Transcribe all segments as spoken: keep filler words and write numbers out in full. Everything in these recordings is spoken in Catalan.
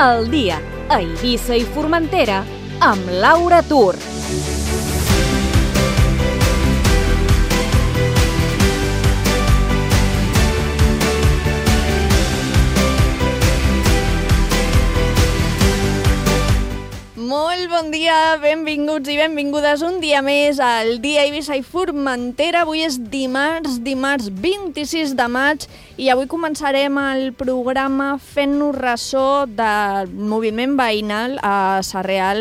al dia a Eivissa i Formentera amb Laura Tur. Molt bon dia, benvinguts i benvingudes un dia més al dia Eivissa i Formentera. Avui és dimarts, dimarts vint-i-sis de maig i avui començarem el programa fent-nos ressò del moviment veïnal a Sarrià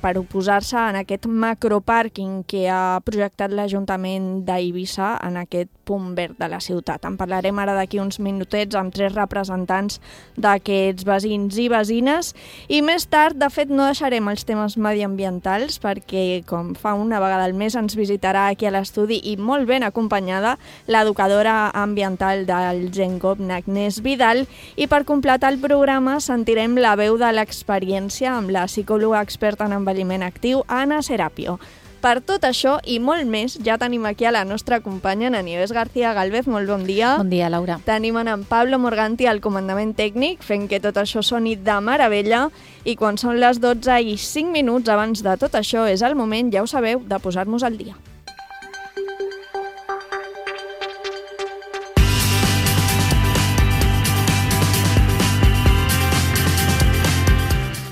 per oposar-se en aquest macropàrquing que ha projectat l'Ajuntament d'Eivissa en aquest punt verd de la ciutat. En parlarem ara d'aquí uns minutets amb tres representants d'aquests veïns i veïnes i més tard, de fet, no deixarem els temes mediambientals perquè, com fa una vegada al mes, ens visitarà aquí a l'estudi i molt ben acompanyada l'educadora ambiental del GenCop, Agnès Vidal, i per completar el programa sentirem la veu de l'experiència amb la psicòloga experta en envelliment actiu, Ana Serapio. Per tot això i molt més, ja tenim aquí a la nostra companya, en Nieves García Galvez. Molt bon dia. Bon dia, Laura. Tenim en Pablo Morganti al comandament tècnic, fent que tot això soni de meravella. I quan són les dotze i cinc minuts abans de tot això, és el moment, ja ho sabeu, de posar-nos al dia.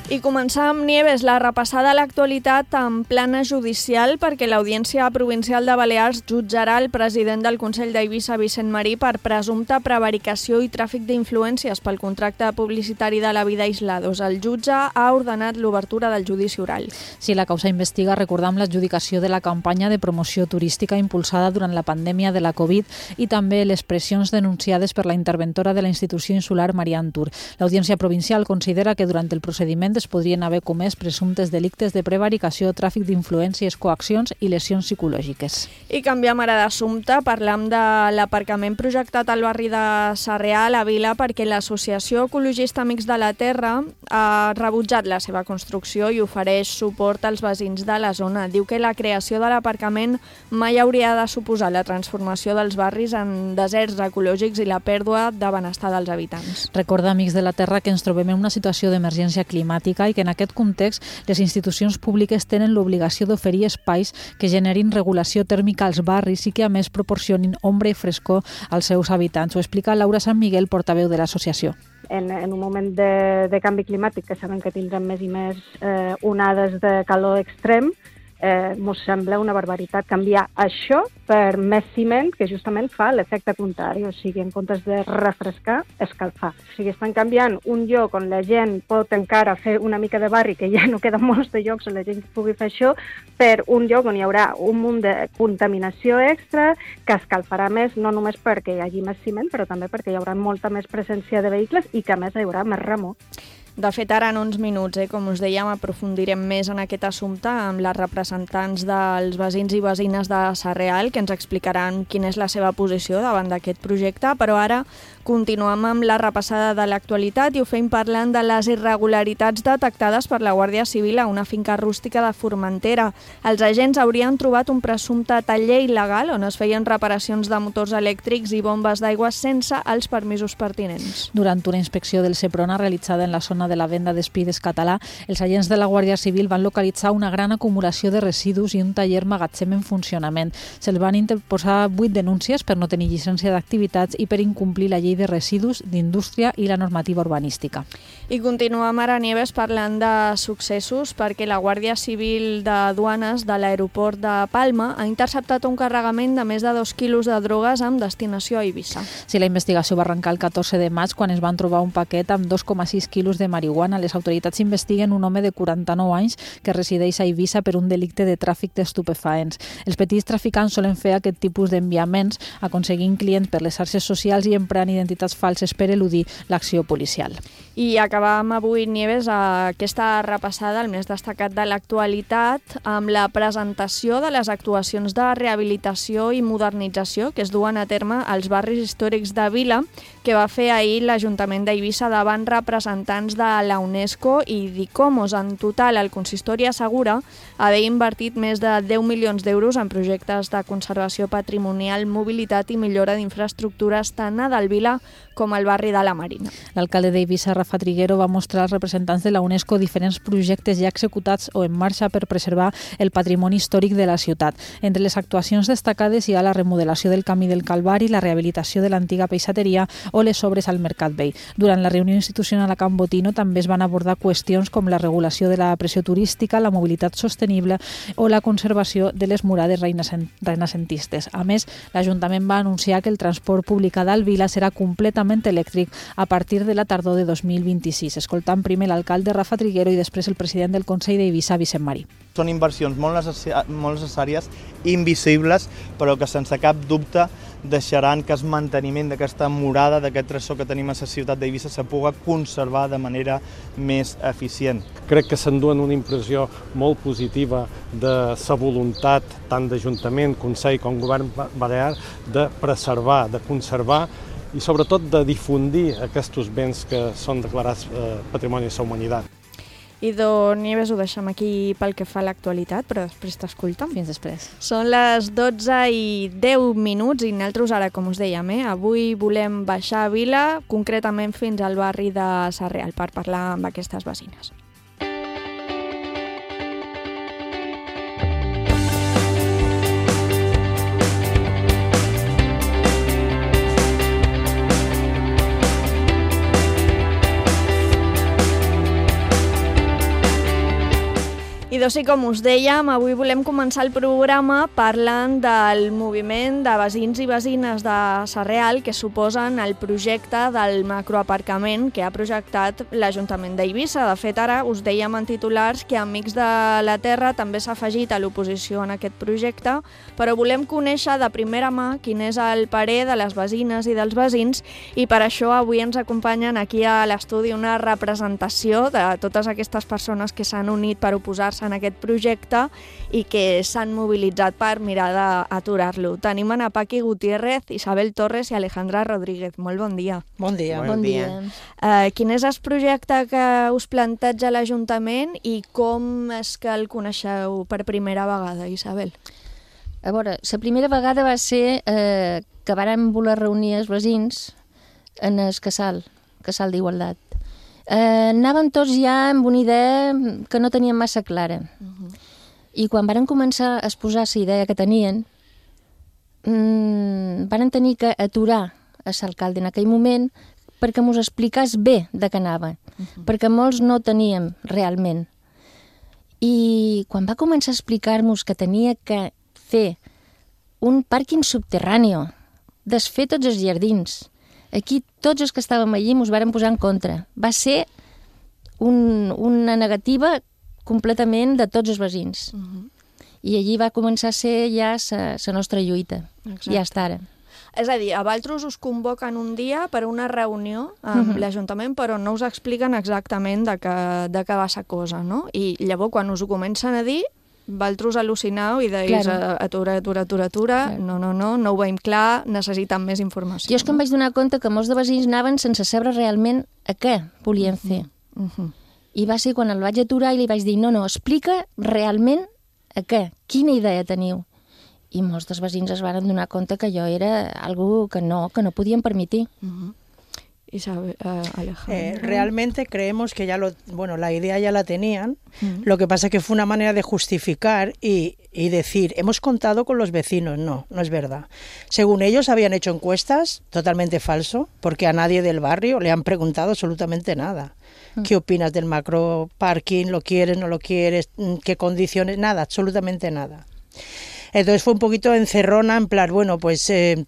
I començar amb Nieves, la repassada a l'actualitat en plana judicial perquè l'Audiència Provincial de Balears jutjarà el president del Consell d'Eivissa, Vicent Marí, per presumpta prevaricació i tràfic d'influències pel contracte publicitari de la vida Aislados. El jutge ha ordenat l'obertura del judici oral. Sí, la causa investiga, recordam, l'adjudicació de la campanya de promoció turística impulsada durant la pandèmia de la Covid i també les pressions denunciades per la interventora de la institució insular, Marian Tur. L'Audiència Provincial considera que durant el procediment es podrien haver comès presumptes delictes de prevaricació, tràfic d'influències, coaccions i lesions psicològiques. I canviem ara d'assumpte, parlam de l'aparcament projectat al barri de Sarrià, a la Vila, perquè l'Associació Ecologista Amics de la Terra ha rebutjat la seva construcció i ofereix suport als veïns de la zona. Diu que la creació de l'aparcament mai hauria de suposar la transformació dels barris en deserts ecològics i la pèrdua de benestar dels habitants. Recorda, Amics de la Terra, que ens trobem en una situació d'emergència climàtica i que en aquest context les institucions públiques tenen l'obligació d'oferir espais que generin regulació tèrmica als barris i que a més proporcionin ombra i frescor als seus habitants. Ho explica Laura Sant Miguel, portaveu de l'associació. En, en un moment de, de canvi climàtic, que sabem que tindrem més i més eh, onades de calor extrem, eh, mos sembla una barbaritat canviar això per més ciment, que justament fa l'efecte contrari, o sigui, en comptes de refrescar, escalfar. O sigui, estan canviant un lloc on la gent pot encara fer una mica de barri, que ja no queden molts de llocs on la gent pugui fer això, per un lloc on hi haurà un munt de contaminació extra que escalfarà més, no només perquè hi hagi més ciment, però també perquè hi haurà molta més presència de vehicles i que a més hi haurà més remor. De fet, ara en uns minuts, eh, com us dèiem, aprofundirem més en aquest assumpte amb les representants dels veïns i veïnes de Sarrià, que ens explicaran quina és la seva posició davant d'aquest projecte, però ara continuem amb la repassada de l'actualitat i ho fem parlant de les irregularitats detectades per la Guàrdia Civil a una finca rústica de Formentera. Els agents haurien trobat un presumpte taller il·legal on es feien reparacions de motors elèctrics i bombes d'aigua sense els permisos pertinents. Durant una inspecció del Seprona realitzada en la zona de la venda d'Espides Català, els agents de la Guàrdia Civil van localitzar una gran acumulació de residus i un taller magatzem en funcionament. Se'ls van interposar vuit denúncies per no tenir llicència d'activitats i per incomplir la llei de residus, d'indústria i la normativa urbanística. I continuem ara, Nieves, parlant de successos perquè la Guàrdia Civil de Duanes de l'aeroport de Palma ha interceptat un carregament de més de dos quilos de drogues amb destinació a Eivissa. Sí, la investigació va arrencar el catorze de maig quan es van trobar un paquet amb dos coma sis quilos de marihuana. Les autoritats investiguen un home de quaranta-nou anys que resideix a Eivissa per un delicte de tràfic d'estupefaents. Els petits traficants solen fer aquest tipus d'enviaments aconseguint clients per les xarxes socials i emprant identitats falses per eludir l'acció policial. I acabam avui, Nieves, aquesta repassada, el més destacat de l'actualitat, amb la presentació de les actuacions de rehabilitació i modernització que es duen a terme als barris històrics de Vila, que va fer ahir l'Ajuntament d'Eivissa davant representants de la UNESCO i d'Icomos. En total, el consistori assegura haver invertit més de deu milions d'euros en projectes de conservació patrimonial, mobilitat i millora d'infraestructures tant a Delvila com al barri de la Marina. L'alcalde d'Eivissa, Rafa Triguero, va mostrar als representants de la UNESCO diferents projectes ja executats o en marxa per preservar el patrimoni històric de la ciutat. Entre les actuacions destacades hi ha la remodelació del Camí del Calvari, la rehabilitació de l'antiga peixateria o les obres al Mercat Vell. Durant la reunió institucional a Can Botino també es van abordar qüestions com la regulació de la pressió turística, la mobilitat sostenible o la conservació de les murades renacentistes. A més, l'Ajuntament va anunciar que el transport públic a Delvila serà completament elèctric a partir de la tardor de dos mil vint-i-sis. Escoltant primer l'alcalde Rafa Triguero i després el president del Consell d'Eivissa, Vicent Marí. Són inversions molt necessàries, invisibles, però que sense cap dubte deixaran que el manteniment d'aquesta murada, d'aquest tresor que tenim a la ciutat d'Eivissa, se pugui conservar de manera més eficient. Crec que s'enduen una impressió molt positiva de la voluntat tant d'Ajuntament, Consell com Govern Balear de preservar, de conservar i sobretot de difundir aquests béns que són declarats Patrimoni de la Humanitat. Idò Nieves, ho deixem aquí pel que fa a l'actualitat, però després t'escoltem. Fins després. Són les dotze i deu minuts i nosaltres ara, com us dèiem, eh, avui volem baixar a Vila, concretament fins al barri de Sarrià, per parlar amb aquestes veïnes. I doncs sí, com us dèiem, avui volem començar el programa parlant del moviment de veïns i veïnes de Sarrià que suposen el projecte del macroaparcament que ha projectat l'Ajuntament d'Eivissa. De fet, ara us dèiem en titulars que Amics de la Terra també s'ha afegit a l'oposició en aquest projecte, però volem conèixer de primera mà quin és el parer de les veïnes i dels veïns i per això avui ens acompanyen aquí a l'estudi una representació de totes aquestes persones que s'han unit per oposar-se en aquest projecte i que s'han mobilitzat per mirar d'aturar-lo. Tenim a Paqui Gutiérrez, Isabel Torres i Alejandra Rodríguez. Molt bon dia. Bon dia. Bon dia. Uh, quin és el projecte que us planteja l'Ajuntament i com és que el coneixeu per primera vegada, Isabel? A veure, la primera vegada va ser eh, que vàrem voler reunir els veïns en el casal, casal d'Igualtat. Eh, anàvem tots ja amb una idea que no teníem massa clara. Uh-huh. I quan varen començar a exposar la idea que tenien, mmm, varen tenir que aturar a l'alcalde en aquell moment perquè mos explicàs bé de què anava, uh-huh. perquè molts no teníem realment. I quan va començar a explicar-nos que tenia que fer un pàrquing subterrani, desfer tots els jardins, aquí tots els que estàvem allí ens vàrem posar en contra. Va ser un, una negativa completament de tots els veïns. Uh-huh. I allí va començar a ser ja la nostra lluita. Exacte. Ja està ara. És a dir, a vosaltres us convoquen un dia per una reunió amb uh-huh. l'Ajuntament, però no us expliquen exactament de què, de què va la cosa, no? I llavors, quan us ho comencen a dir, vosaltres al·lucinau i deis claro. atura, atura, atura, atura, claro. no, no, no, no ho veiem clar, necessitem més informació. Jo és que em vaig donar compte que molts de veïns anaven sense saber realment a què volien fer. Uh -huh. I va ser quan el vaig aturar i li vaig dir, no, no, explica realment a què, quina idea teniu. I molts dels veïns es van donar compte que jo era algo que no, que no podíem permitir. Uh -huh. Isabel, uh, Alejandro. Eh, realmente creemos que ya lo, bueno, la idea ya la tenían, uh-huh. lo que pasa es que fue una manera de justificar y, y decir, hemos contado con los vecinos. No, no es verdad. Según ellos habían hecho encuestas, totalmente falso, porque a nadie del barrio le han preguntado absolutamente nada. Uh-huh. ¿Qué opinas del macro parking? ¿Lo quieres, no lo quieres? ¿Qué condiciones? Nada, absolutamente nada. Entonces fue un poquito encerrona, en plan, bueno, pues... Eh,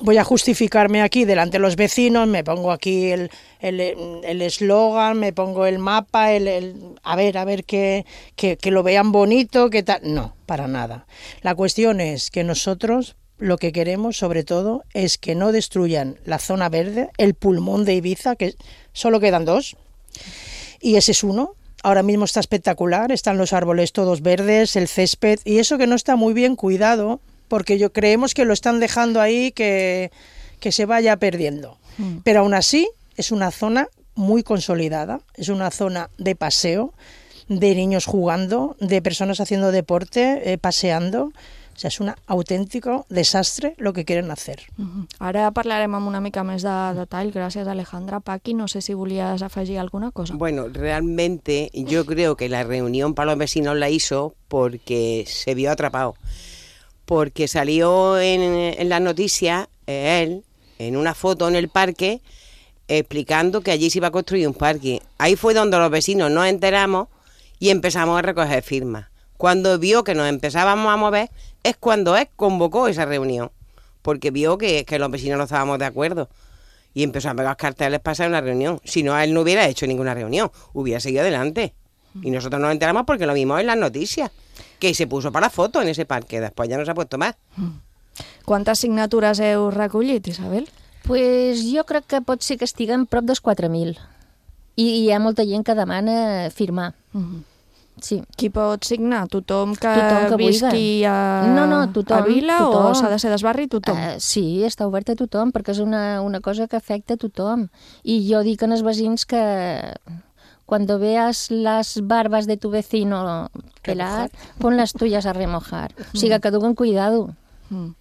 voy a justificarme aquí delante de los vecinos, me pongo aquí el el eslogan, me pongo el mapa, el, el a ver, a ver que, que, que lo vean bonito, que tal. No, para nada. La cuestión es que nosotros lo que queremos, sobre todo, es que no destruyan la zona verde, el pulmón de Ibiza, que solo quedan dos, y ese es uno. Ahora mismo está espectacular, están los árboles todos verdes, el césped, y eso que no está muy bien cuidado, porque yo creemos que lo están dejando ahí que, que se vaya perdiendo. Mm. Pero aún así es una zona muy consolidada, es una zona de paseo, de niños jugando, de personas haciendo deporte, eh, paseando. O sea, és un autèntic desastre lo que quieren hacer. Uh-huh. Ara parlarem amb una mica més de detall. Gràcies, Alejandra. Paqui, no sé si volías afegir alguna cosa. Bueno, realmente yo creo que la reunión para los vecinos la hizo porque se vio atrapado. Porque salió en, en las noticias eh, él, en una foto en el parque, explicando que allí se iba a construir un parque. Ahí fue donde los vecinos nos enteramos y empezamos a recoger firmas. Cuando vio que nos empezábamos a mover, es cuando él convocó esa reunión, porque vio que, que los vecinos no estábamos de acuerdo y empezó a pegar carteles para hacer una reunión. Si no, él no hubiera hecho ninguna reunión, hubiera seguido adelante. Y nosotros nos enteramos porque lo vimos en las noticias, que se puso para foto en ese parque, después ya no se ha puesto más. Quantes signatures heu recollit, Isabel? Pues jo crec que pot ser que estiguem prop dels quatre mil. I hi ha molta gent que demana firmar. Uh-huh. Sí. Qui pot signar? Tothom que, tothom que visqui a, no, no, tothom, a Vila tothom. O s'ha de ser d'esbarri? Tothom? Uh, sí, està obert a tothom, perquè és una, una cosa que afecta a tothom. I jo dic als veïns que cuando veas las barbas de tu vecino pelar, pon las tuyas a remojar. O sigui, que duguen cuidado. Mm.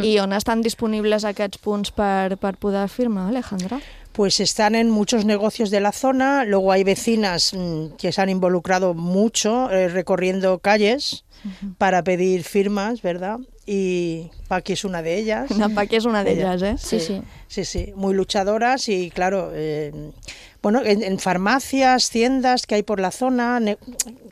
I on estan disponibles aquests punts per, per poder firmar, Alejandra? Pues están en muchos negocios de la zona, luego hay vecinas mmm, que se han involucrado mucho eh, recorriendo calles uh-huh. para pedir firmas, ¿verdad? Y Paqui es una de ellas. La Paqui es una de ellas, ¿eh? Sí, sí. Sí, sí, muy luchadoras y claro, eh, bueno, en, en farmacias, tiendas que hay por la zona, ne-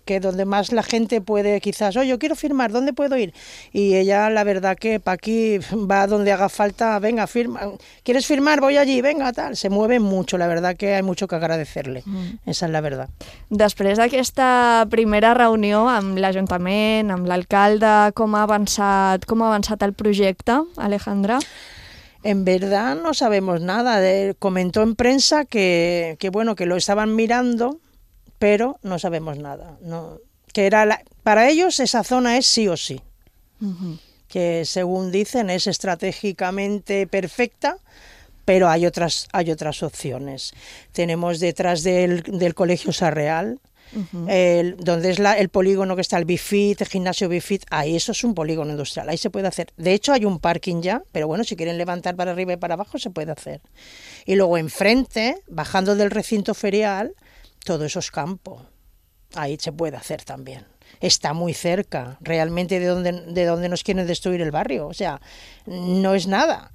que donde más la gente puede quizás, oye, yo quiero firmar, ¿dónde puedo ir? Y ella, la verdad que Paqui va donde haga falta, venga, firma, ¿quieres firmar? Voy allí, venga, tal. Se mueve mucho, la verdad que hay mucho que agradecerle, mm. esa es la verdad. Després d'aquesta primera reunió amb l'Ajuntament, amb l'alcalde, com ha avançat, com ha avançat el projecte, Alejandra? En verdad no sabemos nada. De, comentó en prensa que, que bueno que lo estaban mirando, pero no sabemos nada. No, que era la, para ellos esa zona es sí o sí. Uh-huh. Que según dicen es estratégicamente perfecta, pero hay otras hay otras opciones. Tenemos detrás del, del Colegio Sarreal, Uh-huh. el, donde es la, el polígono que está el Bifit, el gimnasio Bifit, ahí eso es un polígono industrial, ahí se puede hacer. De hecho hay un parking ya, pero bueno, si quieren levantar para arriba y para abajo se puede hacer. Y luego enfrente, bajando del recinto ferial, todo eso es campo, ahí se puede hacer también. Está muy cerca realmente de donde, de donde nos quieren destruir el barrio, o sea, no es nada,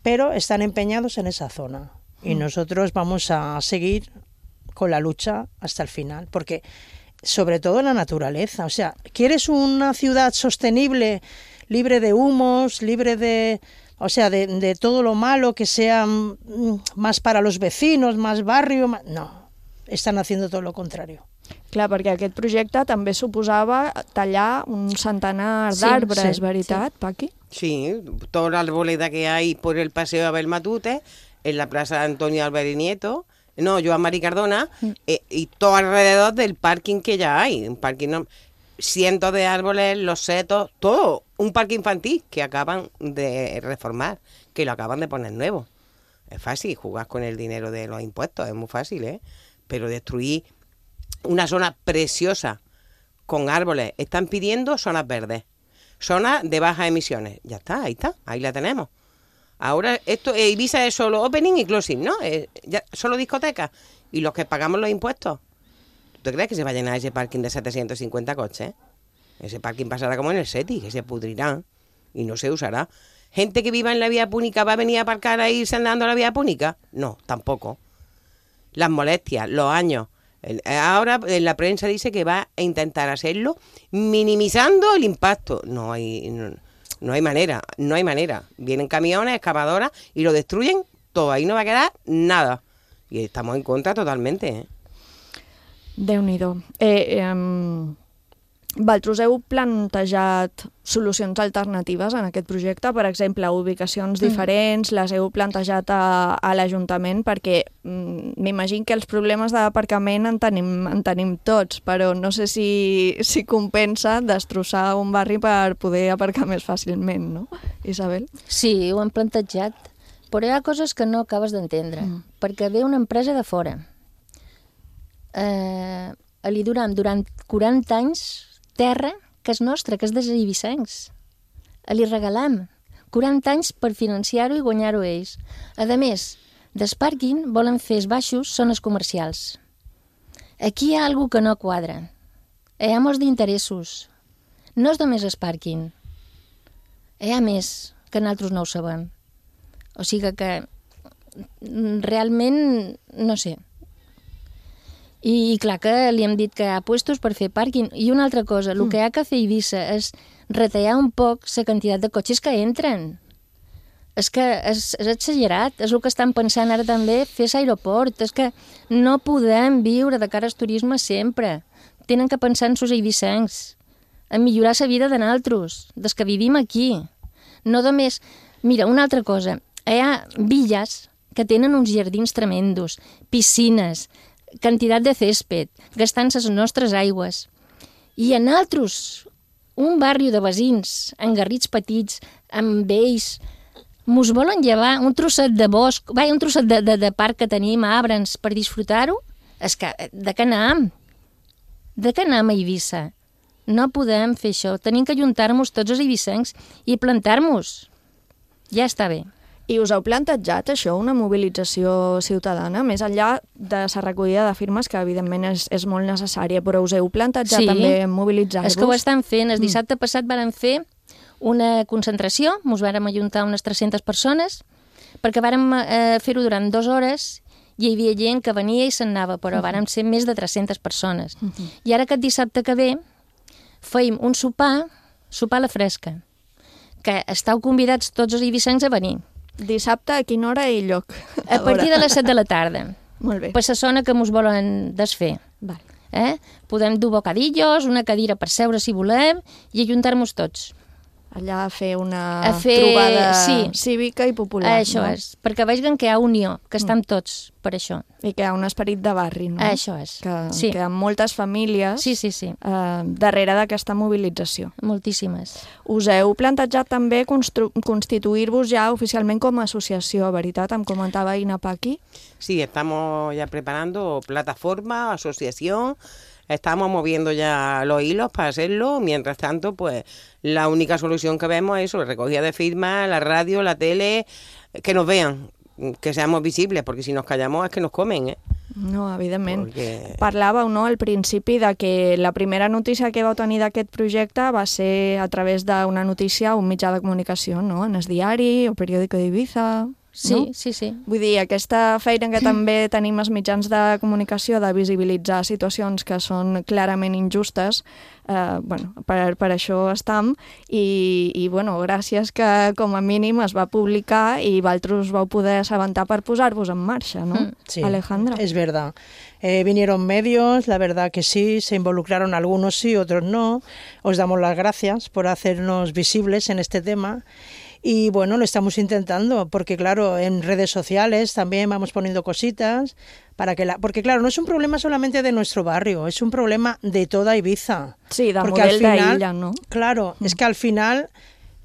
pero están empeñados en esa zona y uh-huh. nosotros vamos a seguir con la lucha hasta el final, porque sobre todo la naturaleza, o sea, ¿quieres una ciudad sostenible, libre de humos, libre de, o sea, de, de todo lo malo, que sea más para los vecinos, más barrio? Más... No, están haciendo todo lo contrario. Clar, perquè aquest projecte també suposava tallar un centenar sí, d'arbres, sí, ¿veritat, sí. Paqui? Sí, toda la arboleda que hay por el Paseo Abel Matute, en la Plaza Antonio Álvarez y Nieto, no, Joan Mari Cardona, eh, y todo alrededor del parking que ya hay, un parking, no, cientos de árboles, los setos, todo, un parque infantil que acaban de reformar, que lo acaban de poner nuevo. Es fácil jugar con el dinero de los impuestos, es muy fácil, ¿eh? Pero destruir una zona preciosa con árboles, están pidiendo zonas verdes, zonas de bajas emisiones, ya está, ahí está, ahí la tenemos. Ahora, esto eh, Ibiza es solo opening y closing, ¿no? Eh, ya, solo discotecas. Y los que pagamos los impuestos. ¿Tú crees que se va a llenar ese parking de setecientos cincuenta coches? Ese parking pasará como en el SETI, que se pudrirá y no se usará. ¿Gente que viva en la vía pública va a venir a aparcar ahí andando la vía pública? No, tampoco. Las molestias, los años. Ahora en la prensa dice que va a intentar hacerlo minimizando el impacto. No hay... No, No hay manera, no hay manera. Vienen camiones, excavadoras y lo destruyen todo. Ahí no va a quedar nada. Y estamos en contra totalmente. ¿eh? Déu-n'hi-do. Eh, eh, Vosaltres heu plantejat solucions alternatives en aquest projecte? Per exemple, ubicacions mm. diferents, les heu plantejat a, a l'Ajuntament? Perquè mm, m'imagino que els problemes d'aparcament en tenim, en tenim tots, però no sé si, si compensa destrossar un barri per poder aparcar més fàcilment, no, Isabel? Sí, ho hem plantejat. però hi ha coses que no acabes d'entendre, mm. perquè ve una empresa de fora. Eh, li duram durant quaranta anys terra que és nostra, que és dels eivissencs. Li regalam quaranta anys per financiar-ho i guanyar-ho ells. A més, des pàrquing volen fer els baixos zones comercials. Aquí hi ha alguna que no quadra. Hi ha molts d'interessos. No és només el pàrquing. Hi ha més, que nosaltres no ho sabem. O sigui que realment, no sé. I, i clar que li hem dit que hi ha puestos per fer pàrquing. I una altra cosa, el mm. que hi ha que fer a Eivissa és retallar un poc la quantitat de cotxes que entren. És que és, és exagerat, és el que estan pensant ara també, fer l'aeroport. És que no podem viure de cara al turisme sempre. Tenen que pensar en els eivissencs, en millorar la vida de nosaltres, des que vivim aquí. No només... Mira, una altra cosa, hi ha villes que tenen uns jardins tremendos, piscines, quantitat de césped, gastant-se les nostres aigües. I a nosaltres, un barri de veïns, amb garrits petits, amb vells, mos volen llevar un trosset de bosc, vai, un trosset de, de, de parc que tenim, arbres, per disfrutar-ho? És que, de què anem? De què anem a Eivissa? No podem fer això. Tenim que ajuntar-nos tots els eivissencs i plantar-nos. Ja està bé. I us heu plantejat això, una mobilització ciutadana, més enllà de la recollida de firmes, que evidentment és, és molt necessària, però us heu plantejat sí, també mobilitzar-vos? És que ho estan fent. El dissabte mm. passat varen fer una concentració, ens vàrem ajuntar unes tres-centes persones, perquè vàrem eh, fer-ho durant dues hores i hi havia gent que venia i se'n anava, però uh-huh. vàrem ser més de tres-centes persones. Uh-huh. I ara aquest dissabte que ve feim un sopar, sopar a la fresca, que estàu convidats tots els eivissencs a venir. Dissabte a quina hora i lloc? A, a partir de les set de la tarda. Molt bé. Per la zona que mos volen desfer. Val. Eh? Podem dur bocadillos, una cadira per seure si volem i ajuntar-nos tots. Allà a fer una a fer... trobada sí. cívica i popular. Això no? és, perquè vegin que hi ha unió, que estem mm. tots per això. I que hi ha un esperit de barri, no? Això és. Que, sí. que hi ha moltes famílies sí, sí, sí. Eh, darrere d'aquesta mobilització. Moltíssimes. Us heu plantejat també constituir-vos ja oficialment com a associació, veritat? Em comentava Ina Paqui. Sí, estamos ya preparando plataforma, asociación. Estamos moviendo ya los hilos para hacerlo. Mientras tanto, pues la única solución que vemos es eso, recogida de firmas, la radio, la tele, que nos vean, que seamos visibles, porque si nos callamos es que nos comen, ¿eh? No, evidentment. Perquè... Parlàveu, no?, al principi de que la primera notícia que vau tenir d'aquest projecte va ser a través d'una notícia a un mitjà de comunicació, no?, en el diari o periòdico d'Eivissa... Sí, no? sí, sí. Vull dir, aquesta feina que també tenim els mitjans de comunicació de visibilitzar situacions que són clarament injustes, eh, bueno, per, per això estem, i, i bueno, gràcies que com a mínim es va publicar i vosaltres vau poder assabentar per posar-vos en marxa, ¿no? Sí, Alejandra. Es verdad. Eh, vinieron medios, la verdad que sí, se involucraron algunos sí, otros no. Os damos las gracias por hacernos visibles en este tema. Y bueno, lo estamos intentando, porque claro, en redes sociales también vamos poniendo cositas, para que la, porque claro, no es un problema solamente de nuestro barrio, es un problema de toda Eivissa. Sí, de porque model al final, d'illa, ¿no? Claro, mm. es que al final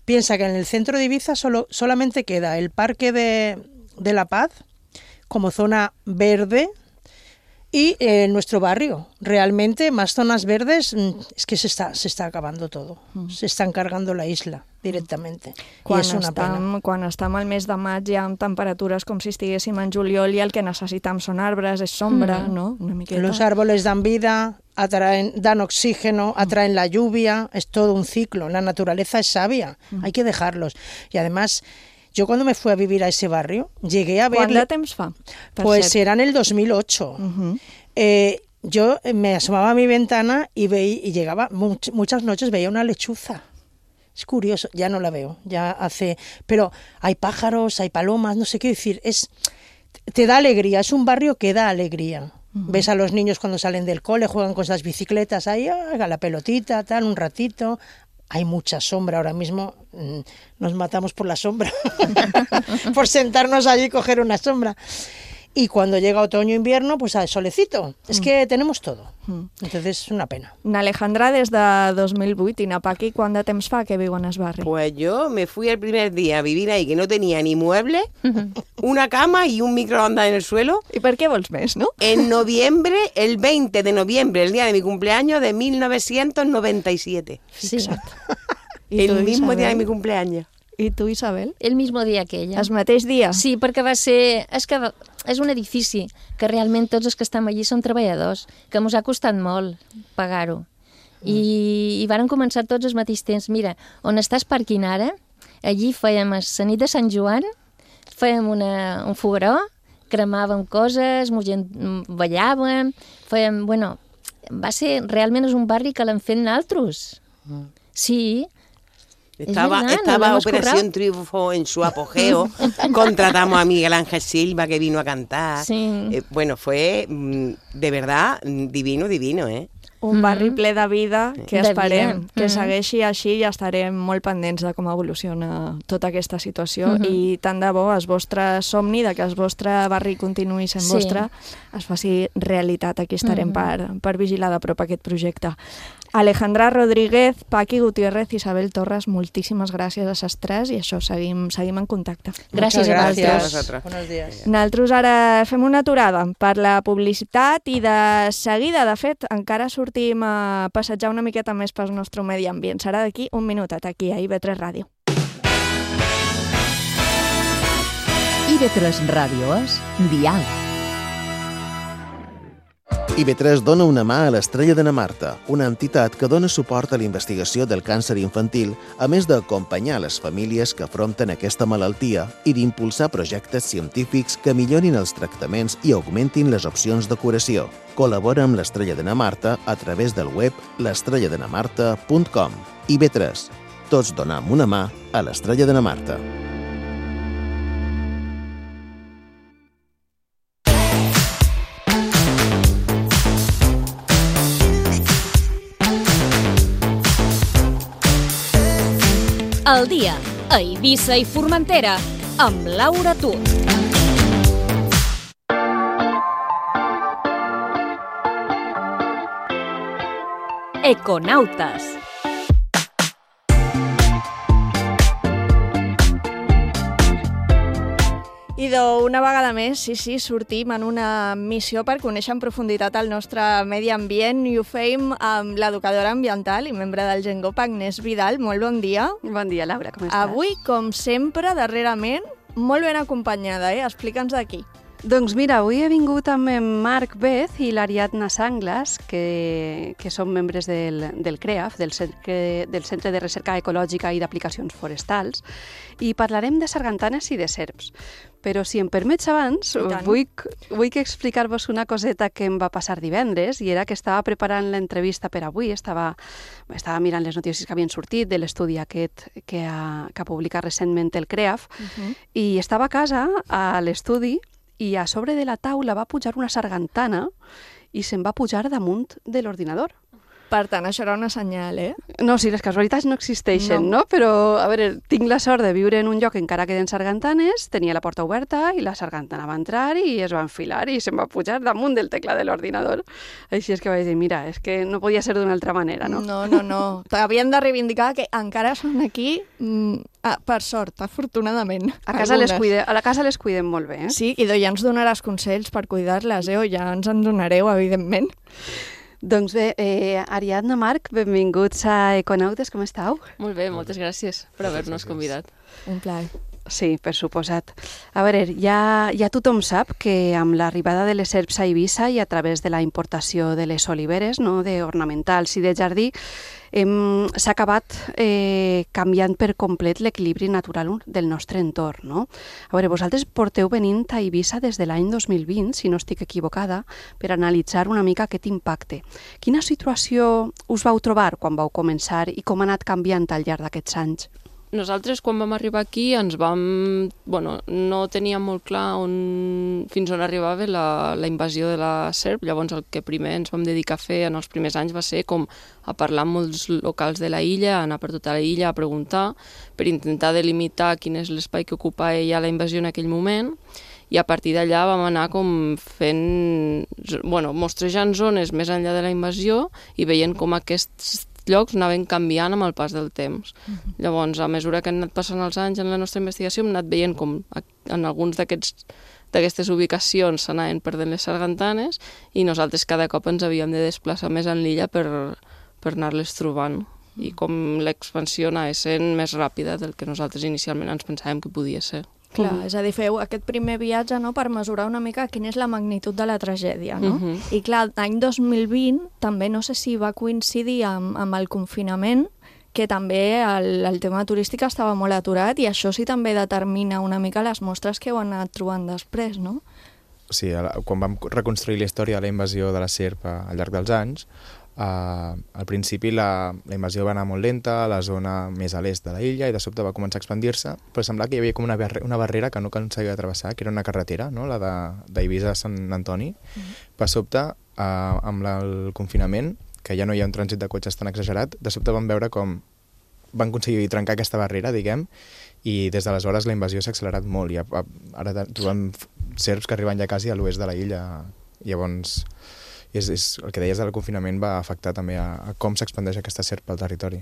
piensa que en el centro de Eivissa solo, solamente queda el Parque de, de la Paz como zona verde, y eh, nuestro barrio, realmente más zonas verdes, es que se está, se está acabando todo, mm. se están cargando la isla directamente. Quan, I és una estem, pena. quan estem al mes de maig ja amb temperatures com si estiguéssim en juliol i el que necessitam són arbres, és sombra, mm. ¿no? Una miqueta. Los árboles dan vida, atraen, dan oxígeno, atraen la lluvia, es todo un ciclo, la naturaleza es sabia, mm. hay que dejarlos. Y además... Yo cuando me fui a vivir a ese barrio, llegué a ver... ¿Cuánto temps fa? Pues era en el dos mil ocho. Uh-huh. eh, yo me asomaba a mi ventana y, veía, y llegaba, much, muchas noches veía una lechuza. Es curioso, ya no la veo, ya hace... Pero hay pájaros, hay palomas, no sé qué decir, es... Te da alegría, es un barrio que da alegría. Uh-huh. Ves a los niños cuando salen del cole, juegan con esas bicicletas ahí, haga la pelotita, tal, un ratito... Hay mucha sombra ahora mismo, nos matamos por la sombra, por sentarnos allí y coger una sombra. y cuando llega otoño invierno, pues al solecito. Es Mm. que tenemos todo. Mm. Entonces es una pena. N'Alejandra, des de dos mil vuit, i na Paqui, quant de temps fa que viu en el barri? Pues yo me fui el primer día a vivir ahí, que no tenía ni muebles, una cama y un microondas en el suelo. I per què vols més, no? En noviembre, el veinte de noviembre, el día de mi cumpleaños de mil novecientos noventa y siete. Sí, I tu, El mismo día de Isabel? mi cumpleaños. I tu, Isabel? el mismo dia que ella. El mateix dia? Sí, perquè va ser... És que va- és un edifici que realment tots els que estem allí són treballadors, que ens ha costat molt pagar-ho. I, i varen començar tots al mateix temps. Mira, on estàs parquint ara, allí fèiem la nit de Sant Joan, fèiem una, un fogueró, cremàvem coses, mo gent ballàvem, fèiem... Bueno, va ser... Realment és un barri que l'hem fet nosaltres. Sí. Estaba, verdad, estaba nos lo hemos Operación currado. Triunfo en su apogeo. Contratamos a Miguel Ángel Silva, que vino a cantar. Sí. Eh, bueno, fue mm, de verdad mm, divino, divino, ¿eh? Un barri ple de vida que De esperem vida. que Mhm. segueixi així i estarem molt pendents de com evoluciona tota aquesta situació Mhm. i tant de bo el vostre somni de que el vostre barri continuï sent Sí. vostre es faci realitat. Aquí estarem Mhm. per, per vigilar de prop aquest projecte. Alejandra Rodríguez, Paqui Gutiérrez, Isabel Torres, moltíssimes gràcies a les tres i això, seguim, seguim en contacte. Gràcies a Muchas vosaltres. Vosaltres. Buenos días. Nosaltres ara fem una aturada per la publicitat i de seguida, de fet, encara sortim a passejar una miqueta més pel nostre medi ambient. Serà d'aquí un minutet, aquí a I V tres Ràdio. I V tres Ràdio és Dial. I V tres dona una mà a l'Estrella de na Marta, una entitat que dona suport a la investigació del càncer infantil, a més d'acompanyar les famílies que afronten aquesta malaltia i d'impulsar projectes científics que millorin els tractaments i augmentin les opcions de curació. Col·labora amb l'Estrella de na Marta a través del web l'estrella de na marta punt com. I V tres. Tots donam una mà a l'Estrella de na Marta. El dia a Eivissa i Formentera amb Laura Tur. Econautes. I d'una vegada més, sí, sí, sortim en una missió per conèixer en profunditat el nostre medi ambient i ho feim amb l'educadora ambiental i membre del Gengop, Agnès Vidal. Molt bon dia. Bon dia, Laura, com estàs? Avui, com sempre, darrerament, molt ben acompanyada, eh? Explica'ns d'aquí. Doncs mira, avui he vingut amb en Marc Bez i l'Ariadna Sanglas, que, que són membres del, del CREAF, del Centre, del Centre de Recerca Ecològica i d'Aplicacions Forestals, i parlarem de sargantanes i de serps. Però si em permets abans, vull, vull que explicar-vos una coseta que em va passar divendres, i era que estava preparant l'entrevista per avui, estava, estava mirant les notícies que havien sortit de l'estudi aquest que ha, que ha publicat recentment el CREAF, uh-huh. i estava a casa, a l'estudi, i a sobre de la taula va pujar una sargantana i se'n va pujar damunt de l'ordinador. Per tant, això era una senyal, eh? No, sí, les casualitats no existeixen, no. no? Però, a veure, tinc la sort de viure en un lloc encara queden sargantanes, tenia la porta oberta i la sargantana va entrar i es va enfilar i se'n va pujar damunt del teclat de l'ordinador. Així és que vaig dir, mira, és que no podia ser d'una altra manera, no? No, no, no. Havien de reivindicar que encara són aquí, mm, ah, per sort, afortunadament. A casa les cuide, a la casa les cuidem molt bé, eh? Sí, i ja ens donaràs consells per cuidar-les, eh? O ja ens en donareu, evidentment. Doncs bé, eh, Ariadna, Marc, benvinguts a Econautes, com estàu? Molt bé, moltes gràcies per haver-nos convidat. Un plaer. Sí, per suposat. A veure, ja, ja tothom sap que amb l'arribada de les serps a Eivissa i a través de la importació de les oliveres, no, d'ornamentals i de jardí, hem, s'ha acabat eh, canviant per complet l'equilibri natural del nostre entorn. No? A veure, vosaltres porteu venint a Eivissa des de l'any dos mil vint, si no estic equivocada, per analitzar una mica aquest impacte. Quina situació us vau trobar quan vau començar i com ha anat canviant al llarg d'aquests anys? Nosaltres, quan vam arribar aquí, ens vam... Bueno, no teníem molt clar on, fins on arribava la, la invasió de la serp. Llavors, el que primer ens vam dedicar a fer en els primers anys va ser com a parlar amb molts locals de la illa, anar per tota la illa a preguntar, per intentar delimitar quin és l'espai que ocupava ja la invasió en aquell moment. i a partir d'allà vam anar com fent, bueno, mostrejant zones més enllà de la invasió i veient com aquests llocs anaven canviant amb el pas del temps. Uh-huh. Llavors, a mesura que han anat passant els anys en la nostra investigació, hem anat veient com en alguns d'aquests d'aquestes ubicacions s'anaven perdent les sargantanes i nosaltres cada cop ens havíem de desplaçar més en l'illa per, per anar-les trobant. I com l'expansió anava sent més ràpida del que nosaltres inicialment ens pensàvem que podia ser. Clar, és a dir, feu aquest primer viatge, no?, per mesurar una mica quina és la magnitud de la tragèdia, no? Uh-huh. I clar, l'any dos mil vint també no sé si va coincidir amb, amb el confinament, que també el, el tema turístic estava molt aturat i això sí també determina una mica les mostres que heu anat trobant després, no? Sí, quan vam reconstruir la història de la invasió de la serp al llarg dels anys, Uh, al principi la, la invasió va anar molt lenta a la zona més a l'est de la illa i de sobte va començar a expandir-se, però semblava que hi havia com una, barre, una barrera que no aconseguia travessar, que era una carretera, no? La d'Eivissa a Sant Antoni. Mm-hmm. Per sobte, uh, amb la, el confinament, que ja no hi ha un trànsit de cotxes tan exagerat, de sobte vam veure com van aconseguir trencar aquesta barrera, diguem, i des d'aleshores la invasió s'ha accelerat molt i ara trobem serps que arriben ja quasi a l'oest de la illa. Llavors, És, és, el que deies del confinament va afectar també a, a com s'expandeix aquesta serp pel territori.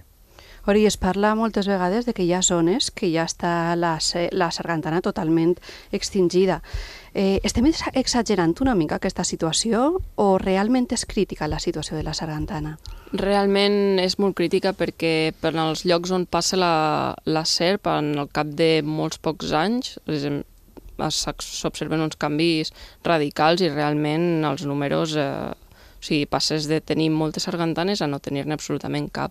Ori, es parla moltes vegades de que hi ha zones que ja està la, la sargantana totalment extingida. Eh, estem exagerant una mica aquesta situació o realment és crítica la situació de la sargantana? Realment és molt crítica perquè per als llocs on passa la, la serp, en el cap de molts pocs anys, s'observen uns canvis radicals i realment els números, eh, o sigui, passes de tenir moltes sargantanes a no tenir-ne absolutament cap.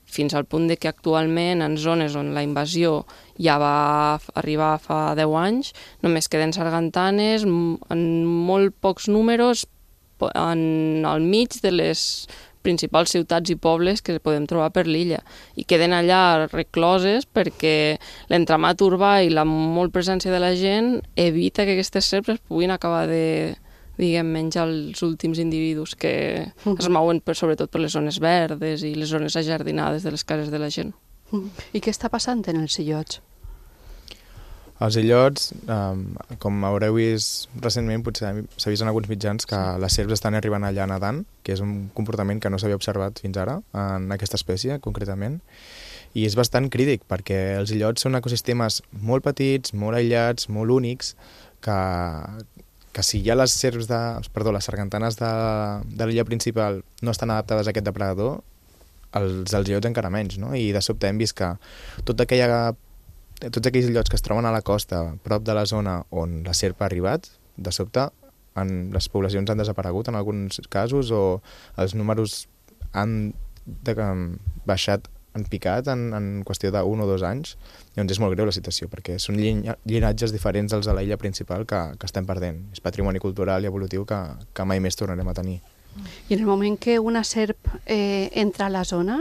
Fins al punt de que actualment en zones on la invasió ja va arribar fa deu anys, només queden sargantanes en molt pocs números en el mig de les principals ciutats i pobles que podem trobar per l'illa i queden allà recloses perquè l'entramat urbà i la molt presència de la gent evita que aquestes serps es puguin acabar de, diguem, menjar els últims individus que uh-huh. es mouen per, sobretot per les zones verdes i les zones ajardinades de les cases de la gent. Uh-huh. I què està passant en els illots? Els illots, um, com haureu vist recentment, potser s'ha vist en alguns mitjans que sí. Les serps estan arribant allà nedant, que és un comportament que no s'havia observat fins ara en aquesta espècie, concretament, i és bastant crític, perquè els illots són ecosistemes molt petits, molt aïllats, molt únics, que, que si ja les serps de, perdó, les sargantanes de, de l'illa principal no estan adaptades a aquest depredador, els, els illots encara menys, no? I de sobte hem vist que tota aquella tots aquells illots que es troben a la costa, prop de la zona on la serp ha arribat, de sobte en, les poblacions han desaparegut en alguns casos o els números han de, baixat, han picat en, en qüestió d'un o dos anys. Llavors és molt greu la situació, perquè són llinatges diferents dels de la illa principal que, que estem perdent. És patrimoni cultural i evolutiu que, que mai més tornarem a tenir. I en el moment que una serp eh, entra a la zona,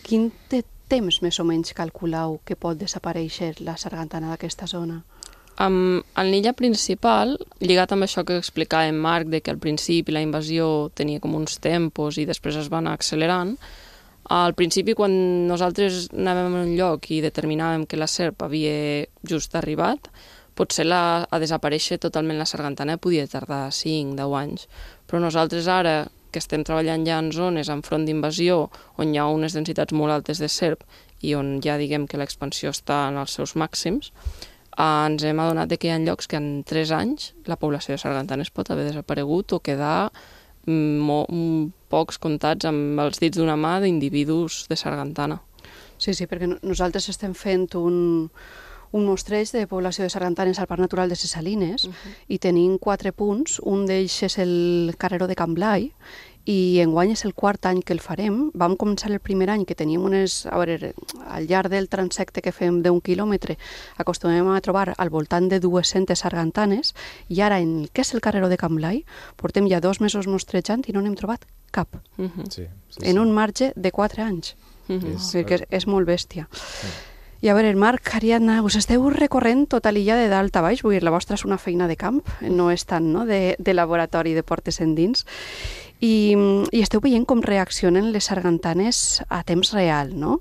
quin té temps més o menys calculeu que pot desaparèixer la sargantana d'aquesta zona? Um, en l'illa principal, lligat amb això que explicava en Marc, de que al principi la invasió tenia com uns tempos i després es va anar accelerant, al principi quan nosaltres anàvem a un lloc i determinàvem que la serp havia just arribat, potser la, a desaparèixer totalment la sargantana podia tardar cinc a deu anys, però nosaltres ara que estem treballant ja en zones enfront d'invasió on hi ha unes densitats molt altes de serp i on ja diguem que l'expansió està en els seus màxims, eh, ens hem adonat que hi ha llocs que en tres anys la població de sargantanes pot haver desaparegut o quedar mm, pocs comptats amb els dits d'una mà d'individus de sargantana. Sí, sí, perquè nosaltres estem fent un, un mostreig de població de sargantanes al Parc Natural de ses Salines uh-huh. i tenim quatre punts. Un d'ells és el Carreró de Can Blai i enguany és el quart any que el farem. Vam començar el primer any que teníem unes... A veure, al llarg del transecte que fem d'un quilòmetre acostumem a trobar al voltant de dues-centes sargantanes i ara en el que és el Carreró de Can Blai portem ja dos mesos mostrejant i no n'hem trobat cap. Uh-huh. sí, sí, en sí. un marge de quatre anys. Uh-huh. És, és, és molt bèstia. Sí. I a veure, Marc, Ariadna, us esteu recorrent tota l'illa de dalt a baix, vull dir, la vostra és una feina de camp, no és tant no? de, de laboratori de portes endins, i, i esteu veient com reaccionen les sargantanes a temps real, no?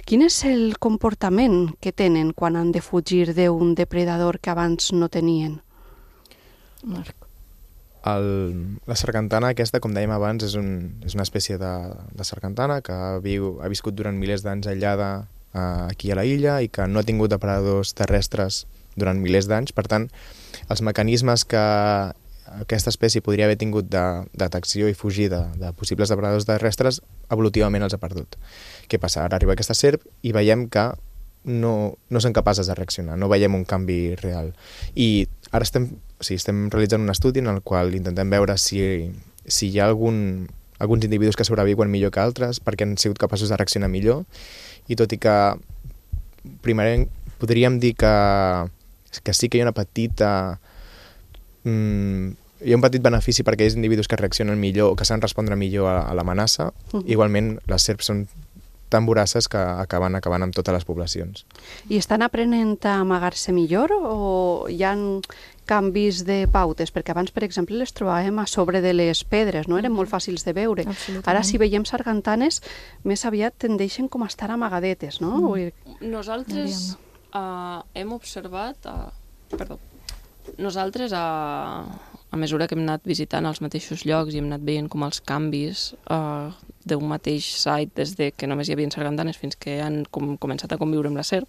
Quin és el comportament que tenen quan han de fugir d'un depredador que abans no tenien? Marc. El, la sargantana aquesta, com dèiem abans, és, un, és una espècie de, de sargantana que viu, ha viscut durant milers d'anys aïllada eh, aquí a la illa i que no ha tingut depredadors terrestres durant milers d'anys. Per tant, els mecanismes que aquesta espècie podria haver tingut de detecció i fugida de possibles depredadors terrestres, evolutivament els ha perdut. Què passa? Ara arriba aquesta serp i veiem que no, no són capaces de reaccionar, no veiem un canvi real. I ara estem, o sigui, estem realitzant un estudi en el qual intentem veure si, si hi ha algun, alguns individus que sobreviuen millor que altres perquè han sigut capaços de reaccionar millor, i tot i que primer podríem dir que, que sí que hi ha una petita... Mm, hi ha un petit benefici per aquells individus que reaccionen millor o que saben respondre millor a, a l'amenaça. Uh-huh. Igualment, les serps són tan voraces que acaben acabant amb totes les poblacions. I estan aprenent a amagar-se millor o hi ha canvis de pautes? Perquè abans, per exemple, les trobàvem a sobre de les pedres, no? Eren molt fàcils de veure. Ara, si veiem sargantanes, més aviat tendeixen com a estar amagadetes, no? Mm. Nosaltres uh, hem observat... Uh, perdó. Nosaltres, a, a mesura que hem anat visitant els mateixos llocs i hem anat veient com els canvis uh, d'un mateix site, des de que només hi havia sargantanes fins que han com, començat a conviure amb la serp,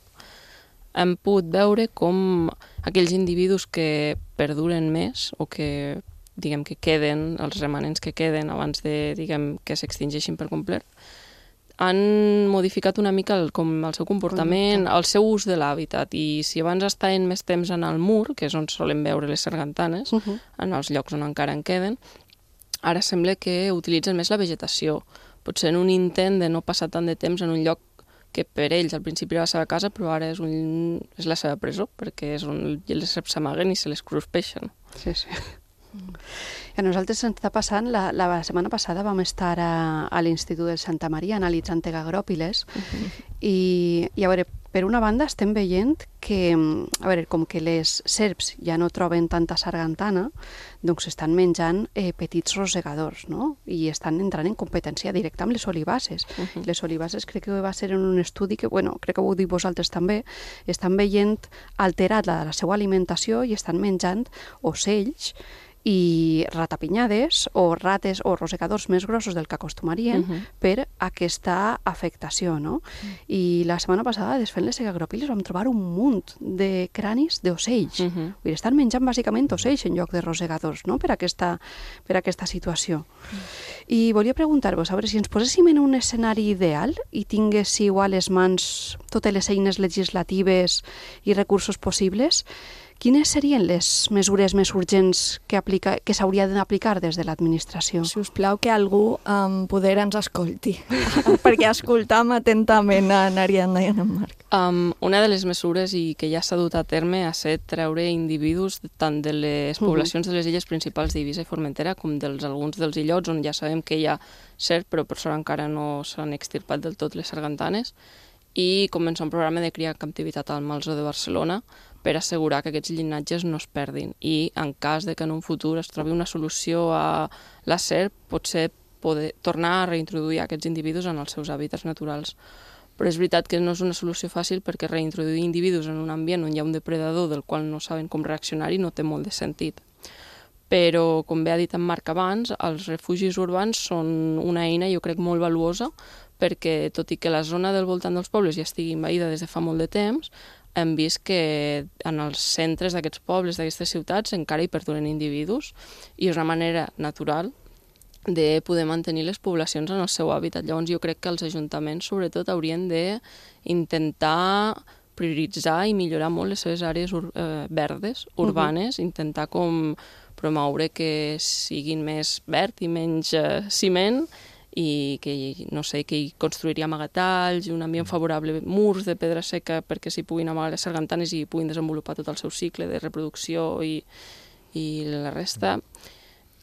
hem pogut veure com aquells individus que perduren més o que, diguem, que queden, els remanents que queden abans de, diguem, que s'extingeixin per complet, han modificat una mica el, com el seu comportament, el seu ús de l'hàbitat, i si abans estaven més temps en el mur, que és on solen veure les sargantanes, uh-huh. en els llocs on encara en queden, ara sembla que utilitzen més la vegetació. Potser en un intent de no passar tant de temps en un lloc que per ells al principi era la seva casa, però ara és, un, és la seva presó, perquè és on les serps s'amaguen i se les cruspeixen. Sí, sí. A nosaltres ens està passant, la, la setmana passada vam estar a, a l'Institut de Santa Maria analitzant tegagròpiles uh-huh. i, i a veure, per una banda estem veient que, a veure, com que les serps ja no troben tanta sargantana, doncs estan menjant eh, petits rosegadors, no? I estan entrant en competència directa amb les olivaces. Uh-huh. Les olivaces crec que va ser en un estudi que, bueno, crec que ho diu vosaltres també, estan veient alterat la, la seva alimentació i estan menjant ocells i ratapinyades o rates o rosegadors més grossos del que acostumarien uh-huh. per aquesta afectació, no? Uh-huh. I la setmana passada, desfent les tegagròpiles, vam trobar un munt de cranis d'ocells. Uh-huh. Vull dir, estan menjant bàsicament ocells en lloc de rosegadors, no?, per aquesta, per aquesta situació. Uh-huh. I volia preguntar-vos, a veure, si ens poséssim en un escenari ideal i tinguéssiu a les mans totes les eines legislatives i recursos possibles, quines serien les mesures més urgents que, aplica, que s'haurien d'aplicar des de l'administració? Si us plau, que algú amb um, poder ens escolti, perquè escoltam atentament a Ariadna i a en Marc. Um, una de les mesures i que ja s'ha dut a terme ha estat treure individus tant de les poblacions uh-huh. de les illes principals d'Eivissa i Formentera com dels alguns dels illots on ja sabem que hi ha serp, però per sort encara no s'han extirpat del tot les sargantanes, i començar un programa de cria en captivitat al Malzo de Barcelona per assegurar que aquests llinatges no es perdin, i en cas de que en un futur es trobi una solució a la serp, potser poder tornar a reintroduir aquests individus en els seus hàbitats naturals. Però és veritat que no és una solució fàcil, perquè reintroduir individus en un ambient on hi ha un depredador del qual no saben com reaccionar-hi no té molt de sentit. Però, com bé ha dit en Marc abans, els refugis urbans són una eina, jo crec, molt valuosa, perquè tot i que la zona del voltant dels pobles ja estigui envaïda des de fa molt de temps, hem vist que en els centres d'aquests pobles, d'aquestes ciutats, encara hi perduren individus, i és una manera natural de poder mantenir les poblacions en el seu hàbitat. Llavors jo crec que els ajuntaments sobretot haurien d'intentar prioritzar i millorar molt les seves àrees ur eh, verdes, urbanes, uh-huh. intentar com promoure que siguin més verd i menys eh, ciment, i que, no sé, que hi construiria amagatalls, un ambient favorable, murs de pedra seca perquè s'hi puguin amagar les sargantanes i puguin desenvolupar tot el seu cicle de reproducció i, i la resta.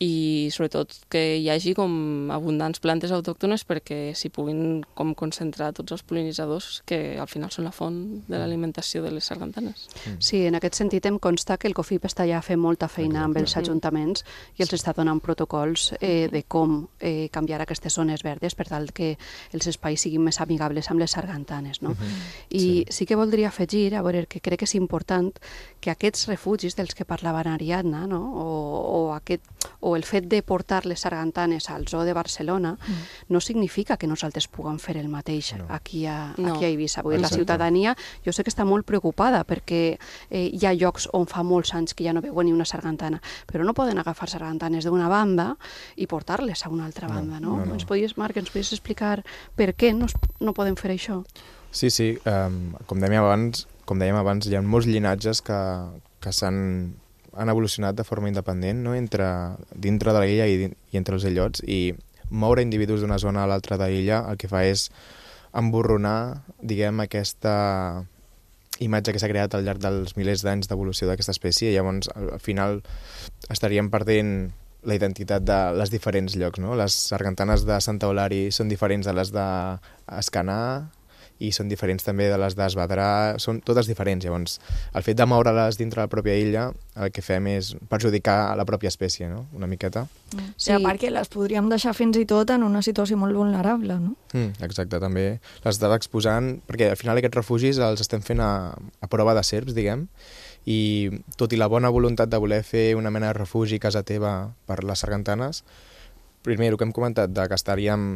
i sobretot que hi hagi com abundants plantes autòctones perquè s'hi puguin com concentrar tots els pol·linitzadors que al final són la font de l'alimentació de les sargantanes. Sí, en aquest sentit em consta que el COFIP està ja fent molta feina amb els ajuntaments i els està donant protocols eh, de com eh, canviar aquestes zones verdes per tal que els espais siguin més amigables amb les sargantanes. No? I sí. sí que voldria afegir, a veure, que crec que és important que aquests refugis dels que parlava Ariadna, no? o, o, aquest, o el fet de portar les sargantanes al Zoo de Barcelona mm. no significa que nosaltres puguem fer el mateix no. aquí, a, no. aquí a Eivissa. Vull dir, la ciutadania, jo sé que està molt preocupada perquè eh, hi ha llocs on fa molts anys que ja no veuen ni una sargantana, però no poden agafar sargantanes d'una banda i portar-les a una altra banda, no? no, no. Ens podies, Marc, ens podies explicar per què no, no podem fer això? Sí, sí, um, com dèiem abans, com dèiem abans, hi ha molts llinatges que, que s'han han evolucionat de forma independent, no? entre, dintre de l'illa i, i entre els illots, i moure individus d'una zona a l'altra de l'illa el que fa és emborronar, diguem, aquesta imatge que s'ha creat al llarg dels milers d'anys d'evolució d'aquesta espècie, i llavors al, al final estaríem perdent la identitat de les diferents llocs, no? Les sargantanes de Santa Eulària són diferents de les d'Escanar, i són diferents també de les d'Esvedrà, són totes diferents. Llavors, el fet de moure-les dintre la pròpia illa, el que fem és perjudicar la pròpia espècie, no? Una miqueta. Mm. Sí, a part que les podríem deixar fins i tot en una situació molt vulnerable, no? Mm, exacte, també les estàs exposant, perquè al final aquests refugis els estem fent a, a prova de serps, diguem, i tot i la bona voluntat de voler fer una mena de refugi a casa teva per les sargantanes, primer, el que hem comentat, de que estaríem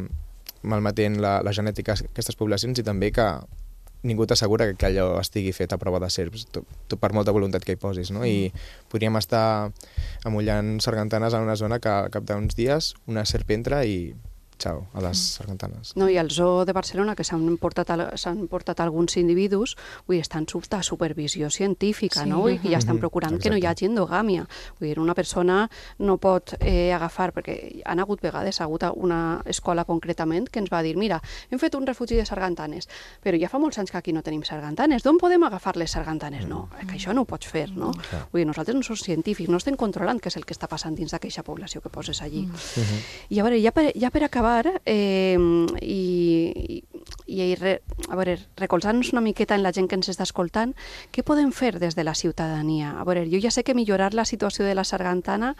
malmetent la, la genètica d'aquestes poblacions, i també que ningú t'assegura que, que allò estigui fet a prova de serps, tot, tot per molta voluntat que hi posis, no? I podríem estar amollant sargantanes en una zona que al cap d'uns dies una serp entra i xau, a les sargantanes. No, i al Zoo de Barcelona, que s'han portat, s'han portat alguns individus, vull dir, estan sota supervisió científica, sí. no? I que ja estan procurant Exacte. Que no hi hagi endogàmia. Vull dir, una persona no pot eh, agafar, perquè han hagut vegades, ha hagut una escola concretament que ens va dir, mira, hem fet un refugi de sargantanes, però ja fa molts anys que aquí no tenim sargantanes, d'on podem agafar les sargantanes? No, que això no ho pots fer, no? Mm. Vull dir, nosaltres no som científics, no estem controlant què és el que està passant dins d'aquesta població que poses allí. Mm. I a veure, ja per, ja per acabar, Eh, i, i re, a veure, recolzant-nos una miqueta en la gent que ens està escoltant, què podem fer des de la ciutadania? A veure, jo ja sé que millorar la situació de la sargantana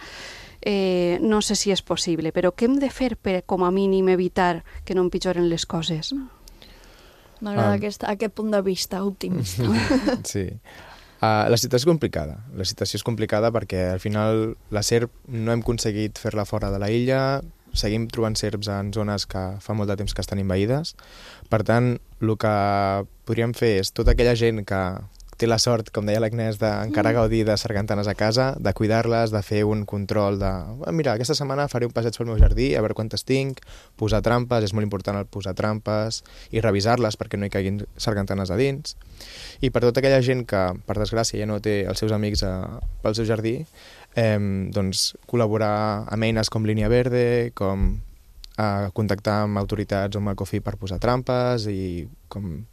eh, no sé si és possible, però què hem de fer per, com a mínim, evitar que no empitjoren les coses? M'agrada um, aquest, aquest punt de vista optimista. Sí. Uh, la situació és complicada. La situació és complicada perquè al final la serp no hem aconseguit fer-la fora de la illa, seguim trobant serps en zones que fa molt de temps que estan envaïdes. Per tant, el que podríem fer és tota aquella gent que té la sort, com deia l'Agnès, d'encara gaudir de sargantanes a casa, de cuidar-les, de fer un control de... Mira, aquesta setmana faré un passeig pel meu jardí, a veure quantes tinc, posar trampes, és molt important el posar trampes, i revisar-les perquè no hi caiguin sargantanes a dins. I per tota aquella gent que, per desgràcia, ja no té els seus amics a, pel seu jardí, eh, doncs col·laborar amb eines com Línia Verde, com eh, contactar amb autoritats o amb el COFI per posar trampes i com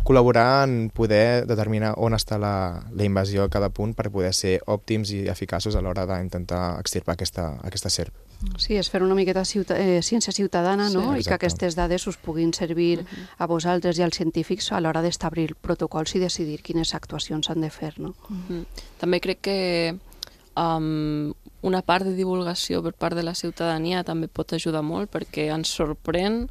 col·laborar en poder determinar on està la, la invasió a cada punt per poder ser òptims i eficaços a l'hora d'intentar extirpar aquesta, aquesta serp. Sí, és fer una miqueta ciuta, eh, ciència ciutadana, no? Sí, i que aquestes dades us puguin servir uh-huh. a vosaltres i als científics a l'hora d'establir protocols i decidir quines actuacions s'han de fer, no? Uh-huh. També crec que um, una part de divulgació per part de la ciutadania també pot ajudar molt, perquè ens sorprèn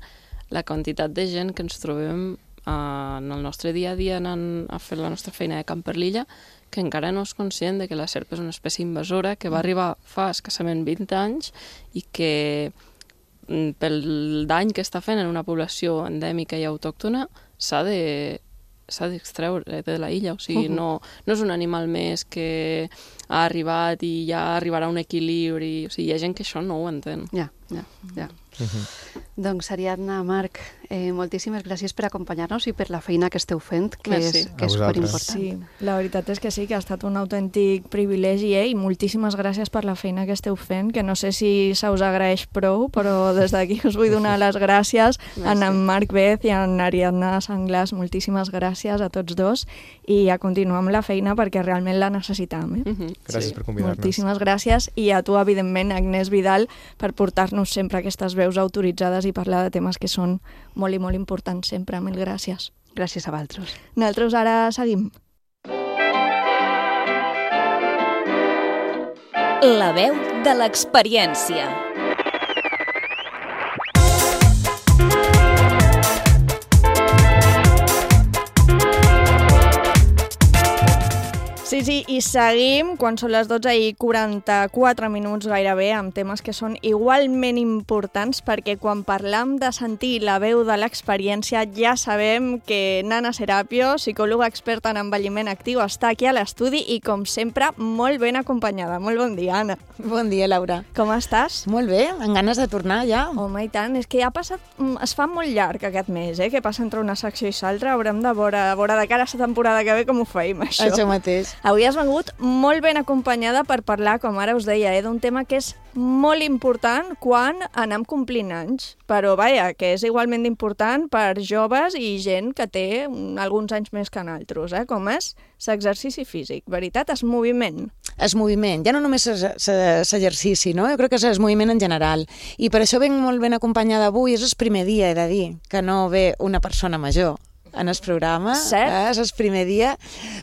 la quantitat de gent que ens trobem uh, en el nostre dia a dia anant a fer la nostra feina de camp per l'illa, que encara no és conscient de que la serp és una espècie invasora que va arribar fa escassament vint anys i que pel dany que està fent en una població endèmica i autòctona s'ha de s'ha d'extreure de la illa, o sigui, uh-huh. no, no és un animal més que ha arribat i ja arribarà a un equilibri, o sigui, hi ha gent que això no ho entén. Ja. Ja, ja. Uh-huh. Doncs, Ariadna, Marc, eh, moltíssimes gràcies per acompanyar-nos i per la feina que esteu fent, que Merci. és, que és superimportant. Sí, la veritat és que sí, que ha estat un autèntic privilegi, eh? I moltíssimes gràcies per la feina que esteu fent, que no sé si se us agraeix prou, però des d'aquí us vull donar les gràcies a en Marc Beth i a en Ariadna Sanglas. Moltíssimes gràcies a tots dos i a continuar amb la feina perquè realment la necessitam. Eh? Uh-huh. Gràcies sí. per convidar-nos. Moltíssimes gràcies i a tu, evidentment, Agnès Vidal, per portar-nos sempre aquestes veus autoritzades i parlar de temes que són molt i molt importants sempre. Mil gràcies. Gràcies a vosaltres. Nosaltres ara seguim. La veu de l'experiència. Sí, sí, i seguim quan són les dotze i quaranta-quatre minuts gairebé amb temes que són igualment importants perquè quan parlam de sentir la veu de l'experiència ja sabem que Nana Serapio, psicòloga experta en envelliment actiu, està aquí a l'estudi i com sempre molt ben acompanyada. Molt bon dia, Anna. Bon dia, Laura. Com estàs? Molt bé, amb ganes de tornar ja. Home, i tant, és que ja ha passat, es fa molt llarg aquest mes, eh? Que passa entre una secció i l'altra, haurem de veure, veure de cara a la temporada que ve com ho feim, això. Això mateix. Avui has vengut molt ben acompanyada per parlar, com ara us deia, eh, d'un tema que és molt important quan anem complint anys, però vaja, que és igualment important per joves i gent que té alguns anys més que nosaltres, eh, com és l'exercici físic, veritat? És moviment. És moviment, ja no només és l'exercici, no? Jo crec que és moviment en general, i per això venc molt ben acompanyada avui, és el primer dia, he de dir, que no ve una persona major en el programa, eh, és el primer dia,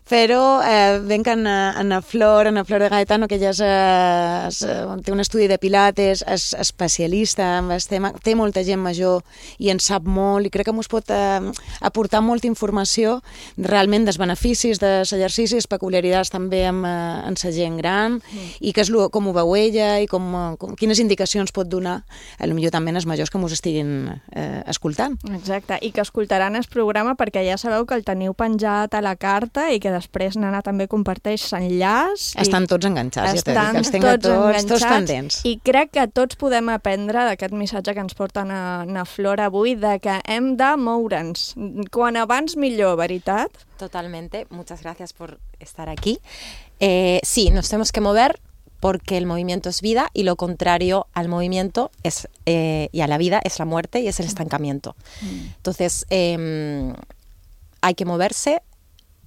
però eh, venc en, en a Flor, en a Flor de Gaetano, que ja és, és, té un estudi de pilates, és especialista en el tema, té molta gent major i en sap molt, i crec que ens pot eh, aportar molta informació realment dels beneficis dels exercicis, peculiaritats també amb, eh, en la gent gran, mm. i que és lo, com ho veu ella i com, com, quines indicacions pot donar, potser també als majors que ens estiguin eh, escoltant. Exacte, i que escoltaran el programa perquè ja sabeu que el teniu penjat a la carta i que després Nana també comparteix l'enllaç. Estan tots enganxats, estan ja t'he dit, que els tinc tots, tots, tots pendents. I crec que tots podem aprendre d'aquest missatge que ens porten a, a Flor avui, de que hem de moure'ns. Quan abans millor, ¿verdad? Totalmente, muchas gracias por estar aquí. Eh, sí, nos tenemos que mover porque el movimiento es vida y lo contrario al movimiento es, eh, y a la vida es la muerte y es el estancamiento. Mm. Entonces, eh, hay que moverse.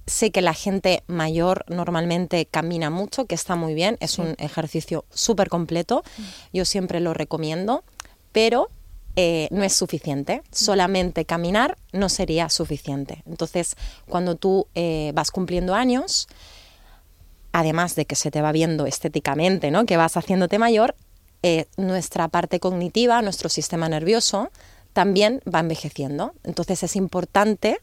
Sé que la gente mayor normalmente camina mucho, que está muy bien, es sí. un ejercicio súper completo, mm. yo siempre lo recomiendo, pero eh, no es suficiente. Solamente caminar no sería suficiente. Entonces, cuando tú eh, vas cumpliendo años, además de que se te va viendo estéticamente, ¿no? Que vas haciéndote mayor, eh, nuestra parte cognitiva, nuestro sistema nervioso, también va envejeciendo. Entonces es importante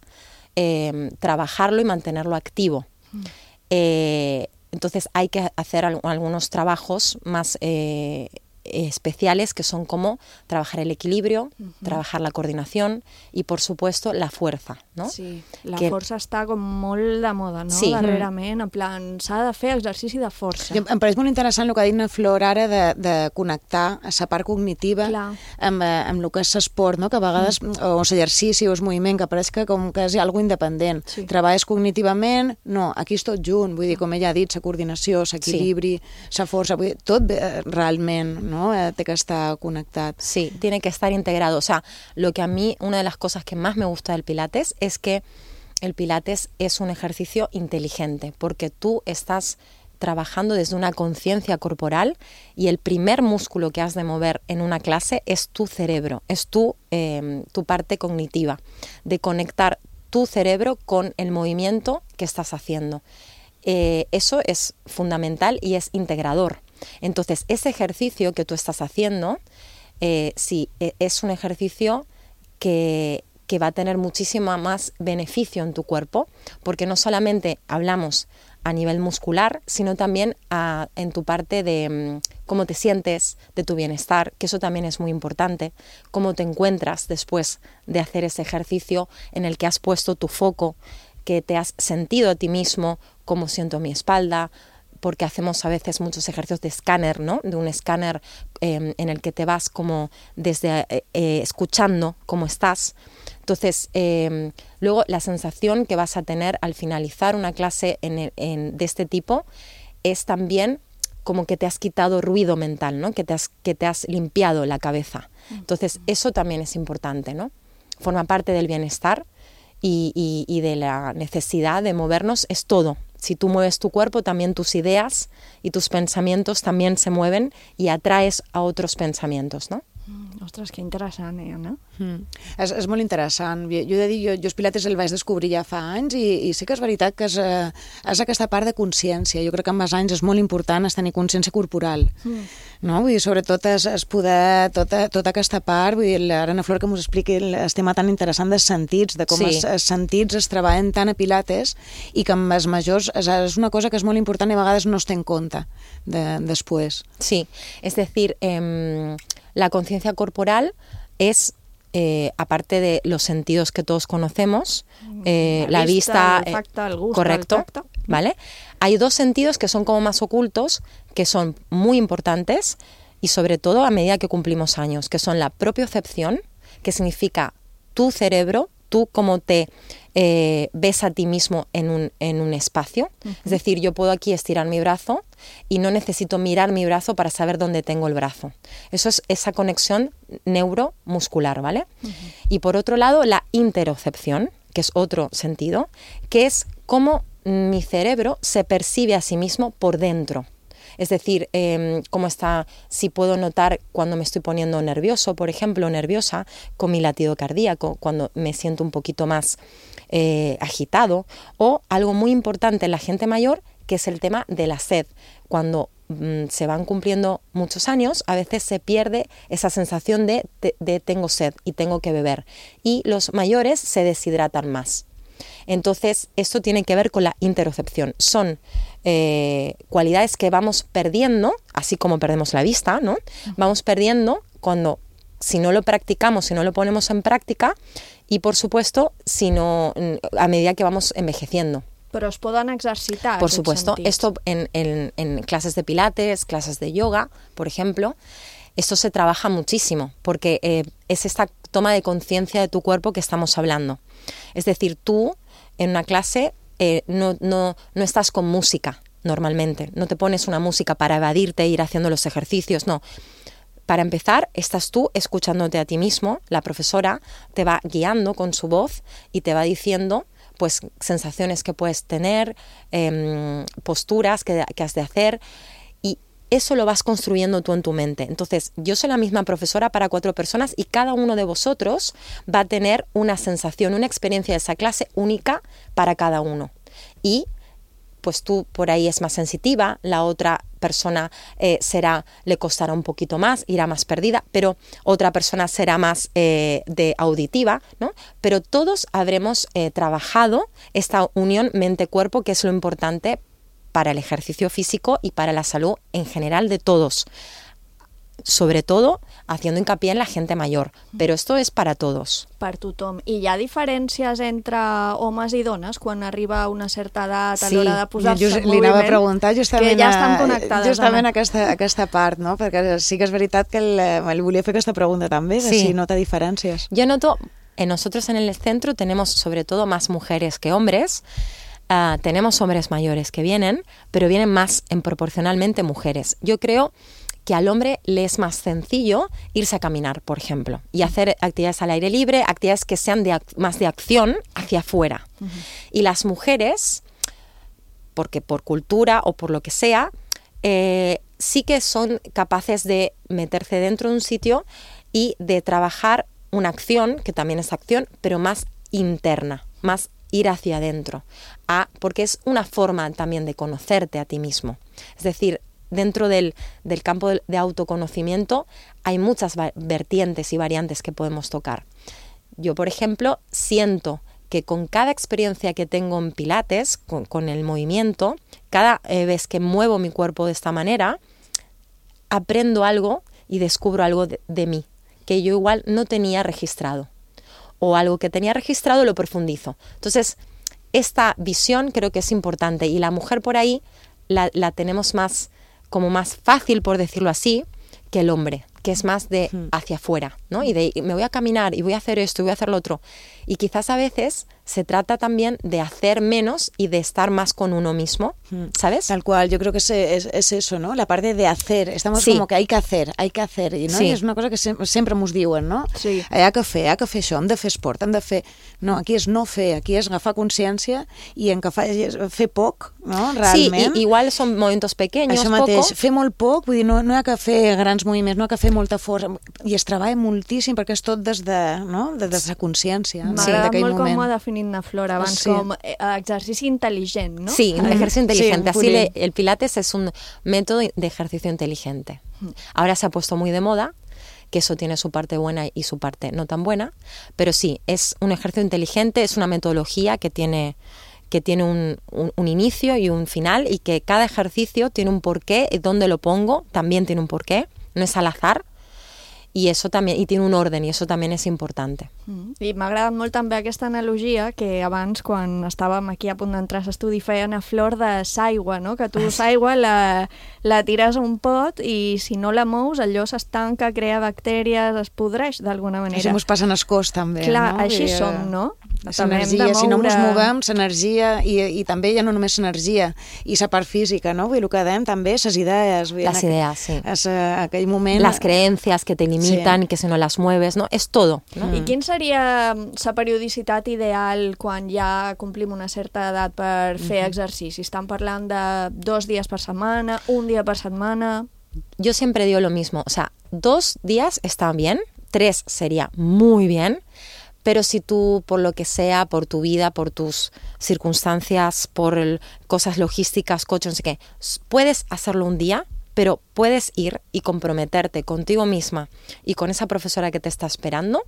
eh, trabajarlo y mantenerlo activo. Mm. Eh, entonces hay que hacer al- algunos trabajos más eh, especiales, que son como trabajar el equilibrio, uh-huh. trabajar la coordinación y, por supuesto, la fuerza, no? Sí, la que... força està com molt de moda, no? Sí. Darrerament, en plan, s'ha de fer exercici de força. Jo, em pareix molt interessant el que ha dit na Flor ara de, de connectar a la part cognitiva amb, amb el que és l'esport, no? Que a vegades, mm. o l'exercici o el moviment, que pareix que com que és algo independent. Sí. Treballes cognitivament, no, aquí és tot junt, vull dir, com ella ha dit, la coordinació, l'equilibri, la sí. força, vull dir, tot eh, realment, no? ¿no? Eh, que está conectado. Sí, tiene que estar integrado. O sea, lo que a mí, una de las cosas que más me gusta del Pilates es que el Pilates es un ejercicio inteligente, porque tú estás trabajando desde una conciencia corporal y el primer músculo que has de mover en una clase es tu cerebro, es tu, eh, tu parte cognitiva, de conectar tu cerebro con el movimiento que estás haciendo. Eh, eso es fundamental y es integrador. Entonces, ese ejercicio que tú estás haciendo, eh, sí, es un ejercicio que, que va a tener muchísimo más beneficio en tu cuerpo, porque no solamente hablamos a nivel muscular, sino también a, en tu parte de um, cómo te sientes, de tu bienestar, que eso también es muy importante, cómo te encuentras después de hacer ese ejercicio en el que has puesto tu foco, que te has sentido a ti mismo, cómo siento mi espalda, porque hacemos a veces muchos ejercicios de escáner, ¿no? De un escáner eh, en el que te vas como desde eh, eh, escuchando cómo estás. Entonces, eh, luego la sensación que vas a tener al finalizar una clase en el, en, de este tipo es también como que te has quitado ruido mental, ¿no? Que te has, que te has limpiado la cabeza. Entonces, eso también es importante, ¿no? Forma parte del bienestar y, y, y de la necesidad de movernos, es todo. Si tú mueves tu cuerpo, también tus ideas y tus pensamientos también se mueven y atraes a otros pensamientos, ¿no? Mm, ostres, que interessant, eh, Anna? Mm. És, és molt interessant. Jo, jo he de dir, jo, jo els pilates el vaig descobrir ja fa anys i, i sí que és veritat que és, eh, és aquesta part de consciència. Jo crec que amb els anys és molt important és tenir consciència corporal. Mm. No? Vull dir, sobretot és, és poder tota, tota aquesta part, vull dir, l'Anna Flor que ens expliqui el tema tan interessant dels sentits, de com sí. els, els sentits es treballen tant a pilates i que amb els majors és, és una cosa que és molt important i a vegades no es té en compte de, després. Sí, es decir, eh, la conciencia corporal es, eh, aparte de los sentidos que todos conocemos, eh, la, la vista, vista el olfacto, el gusto, correcto, el tacto. ¿Vale? Hay dos sentidos que son como más ocultos, que son muy importantes y sobre todo a medida que cumplimos años, que son la propiocepción, que significa tu cerebro, tú cómo te eh, ves a ti mismo en un, en un espacio. Uh-huh. Es decir, yo puedo aquí estirar mi brazo y no necesito mirar mi brazo para saber dónde tengo el brazo. Eso es esa conexión neuromuscular, ¿vale? Uh-huh. Y por otro lado, la interocepción, que es otro sentido, que es cómo mi cerebro se percibe a sí mismo por dentro. Es decir, eh, cómo está, si puedo notar cuando me estoy poniendo nervioso, por ejemplo, nerviosa, con mi latido cardíaco, cuando me siento un poquito más eh, agitado, o algo muy importante en la gente mayor, que es el tema de la sed. Cuando mm, se van cumpliendo muchos años, a veces se pierde esa sensación de, de, de tengo sed y tengo que beber. Y los mayores se deshidratan más. Entonces, esto tiene que ver con la interocepción. Son eh, cualidades que vamos perdiendo, así como perdemos la vista, ¿no? Vamos perdiendo cuando, si no lo practicamos, si no lo ponemos en práctica, y por supuesto, si no, a medida que vamos envejeciendo. Pero os poden exercitar. Por supuesto, esto en, en, en clases de pilates, clases de yoga, por ejemplo, esto se trabaja muchísimo, porque eh, es esta toma de conciencia de tu cuerpo que estamos hablando. Es decir, tú en una clase eh, no, no, no estás con música normalmente, no te pones una música para evadirte e ir haciendo los ejercicios, no. Para empezar, estás tú escuchándote a ti mismo, la profesora te va guiando con su voz y te va diciendo pues sensaciones que puedes tener, eh, posturas que, que has de hacer, y eso lo vas construyendo tú en tu mente. Entonces, yo soy la misma profesora para cuatro personas y cada uno de vosotros va a tener una sensación, una experiencia de esa clase única para cada uno. Y pues tú por ahí es más sensitiva, la otra persona eh, será, le costará un poquito más, irá más perdida, pero otra persona será más eh, de auditiva, ¿no? Pero todos habremos eh, trabajado esta unión mente-cuerpo, que es lo importante para el ejercicio físico y para la salud en general de todos. Sobre todo haciendo hincapié en la gente mayor, però esto es para todos. Per tothom. I hi ha diferències entre homes i dones quan arriba a una certa edat a sí. l'hora de posar-se just, en moviment? Li anava a preguntar justament, que ja estan connectades. Justament aquesta, aquesta part, no? Perquè sí que és veritat que el, el volia fer aquesta pregunta també, de sí. si nota diferències. Yo noto, en nosotros en el centro tenemos sobre todo más mujeres que hombres. Uh, tenemos hombres mayores que vienen, pero vienen más en proporcionalmente mujeres. Yo creo que al hombre le es más sencillo irse a caminar, por ejemplo, y hacer actividades al aire libre, actividades que sean de, más de acción hacia afuera. Uh-huh. Y las mujeres, porque por cultura o por lo que sea, eh, sí que son capaces de meterse dentro de un sitio y de trabajar una acción, que también es acción, pero más interna, más ir hacia adentro, ah, porque es una forma también de conocerte a ti mismo. Es decir, dentro del, del campo de autoconocimiento hay muchas vertientes y variantes que podemos tocar. Yo, por ejemplo, siento que con cada experiencia que tengo en Pilates, con, con el movimiento, cada eh, vez que muevo mi cuerpo de esta manera, aprendo algo y descubro algo de, de mí, que yo igual no tenía registrado. O algo que tenía registrado lo profundizo. Entonces, esta visión creo que es importante, y la mujer por ahí la, la tenemos más, como más fácil, por decirlo así, que el hombre, que es más de hacia afuera, ¿no? Y de me voy a caminar y voy a hacer esto y voy a hacer lo otro. Y quizás a veces se trata también de hacer menos y de estar más con uno mismo, ¿sabes? Tal cual, yo creo que es, es, es eso, ¿no? La parte de hacer, estamos sí. como que hay que hacer, hay que hacer, i, no? Sí. I és una cosa que sem sempre mos diuen, no? Sí. Hi ha que fer, hi ha que fer això, hem de fer esport, hem de fer... No, aquí és no fer, aquí és agafar consciència i en que fa, fer poc, no? Realment. Sí, i, igual són moviments pequeños, això mateix, poco. fer molt poc, vull dir, no, no hi ha que fer grans moviments, no hi ha que fer molta força, i es treballa moltíssim perquè és tot des de, no? des de la consciència. M'agrada sí, molt moment. com ho ha definit na Flor abans, sí. com eh, exercici intel·ligent, ¿no? Sí, ejercicio inteligente. Sí, Así le, el Pilates es un método de ejercicio inteligente. Ahora se ha puesto muy de moda, que eso tiene su parte buena y su parte no tan buena, pero sí, es un ejercicio inteligente, es una metodología que tiene, que tiene un, un, un inicio y un final, y que cada ejercicio tiene un porqué, y dónde lo pongo también tiene un porqué, no es al azar. I eso també, i tiene un orden, i eso també és important. Mm. I m'ha agradat molt també aquesta analogia que abans, quan estàvem aquí a punt d'entrar a l'estudi, feien a Flor de s'aigua, no? Que tu s'aigua la, la tires a un pot i si no la mous allò s'estanca, crea bactèries, es podreix d'alguna manera. Això mos passa en el cos també, Clar, no? així I, som, no? L'energia, si no ens movem, l'energia, i, i també ja no només l'energia, i la part física, no? Vull dir, el que dèiem també, les idees. Las ideas, sí. És aquell moment... Las creencias que te limitan, sí. que si no las mueves, ¿no? Es todo, ¿no? I quin seria la periodicitat ideal quan ja complim una certa edat per fer Uh-huh. exercici? Estan parlant de dos dies per setmana, un dia per setmana... Yo siempre digo lo mismo, o sea, dos días están bien, tres sería muy bien, pero si tú, por lo que sea, por tu vida, por tus circunstancias, por el, cosas logísticas, coche, no sé qué, puedes hacerlo un día, pero puedes ir y comprometerte contigo misma y con esa profesora que te está esperando,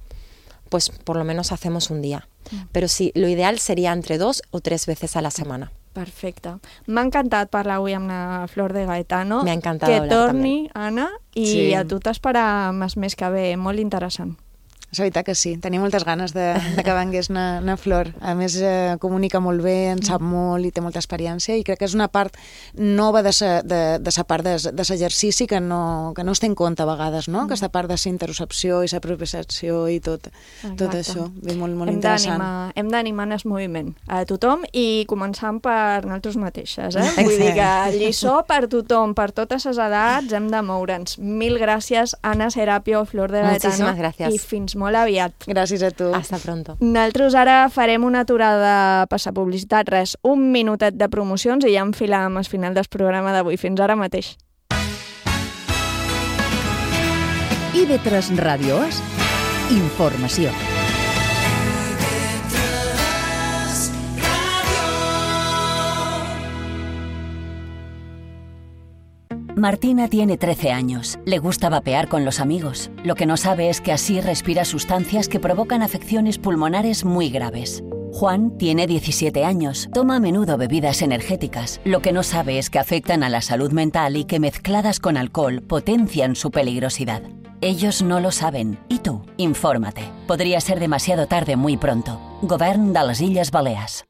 pues por lo menos hacemos un día. Pero sí, lo ideal sería entre dos o tres veces a la semana. Perfecte. M'ha encantat parlar avui amb la Flor de Gaetano. M'ha encantat que hablar torni, també. Anna, i Sí. a tu t'esperem el mes que ve. Molt interessant. És veritat que sí, tenia moltes ganes de, de que vengués na, na Flor. A més, eh, comunica molt bé, en sap molt i té molta experiència, i crec que és una part nova de sa, de, de sa part de, de l'exercici que no, que no es té en compte a vegades, no? Mm. Aquesta part de la interocepció i la propiocepció i tot, tot això. Bé, molt, molt hem interessant. Hem d'animar el moviment a tothom i començant per nosaltres mateixes. Eh? Vull dir que lliçó per tothom, per totes les edats, hem de moure'ns. Mil gràcies, Anna Serapio, Flor de Gaetano. Muchísimas gracias. I fins molt aviat. Gràcies a tu. Hasta pronto. Nosaltres ara farem una aturada per la publicitat, res, un minutet de promocions i ja enfilem al final del programa d'avui. Fins ara mateix. I ve tres Ràdio És informació. Martina tiene trece años. Le gusta vapear con los amigos. Lo que no sabe es que así respira sustancias que provocan afecciones pulmonares muy graves. Juan tiene diecisiete años. Toma a menudo bebidas energéticas. Lo que no sabe es que afectan a la salud mental y que mezcladas con alcohol potencian su peligrosidad. Ellos no lo saben. ¿Y tú? Infórmate. Podría ser demasiado tarde muy pronto. Govern de les Illes Balears.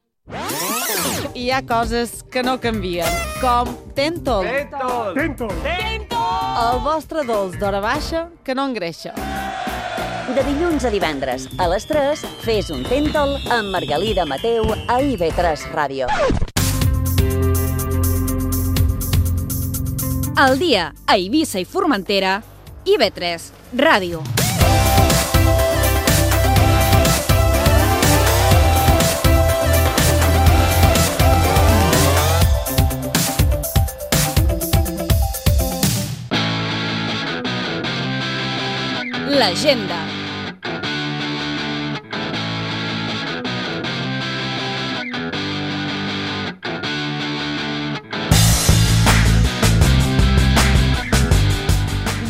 Hi ha coses que no canvien, com Tentol. Tentol! Tentol! El vostre dolç d'hora baixa que no engreixa. De dilluns a divendres, a les tres, fes un Tentol amb Margalida Mateu a I V tres Ràdio. Al dia a Eivissa i Formentera, I V tres Ràdio. L'agenda.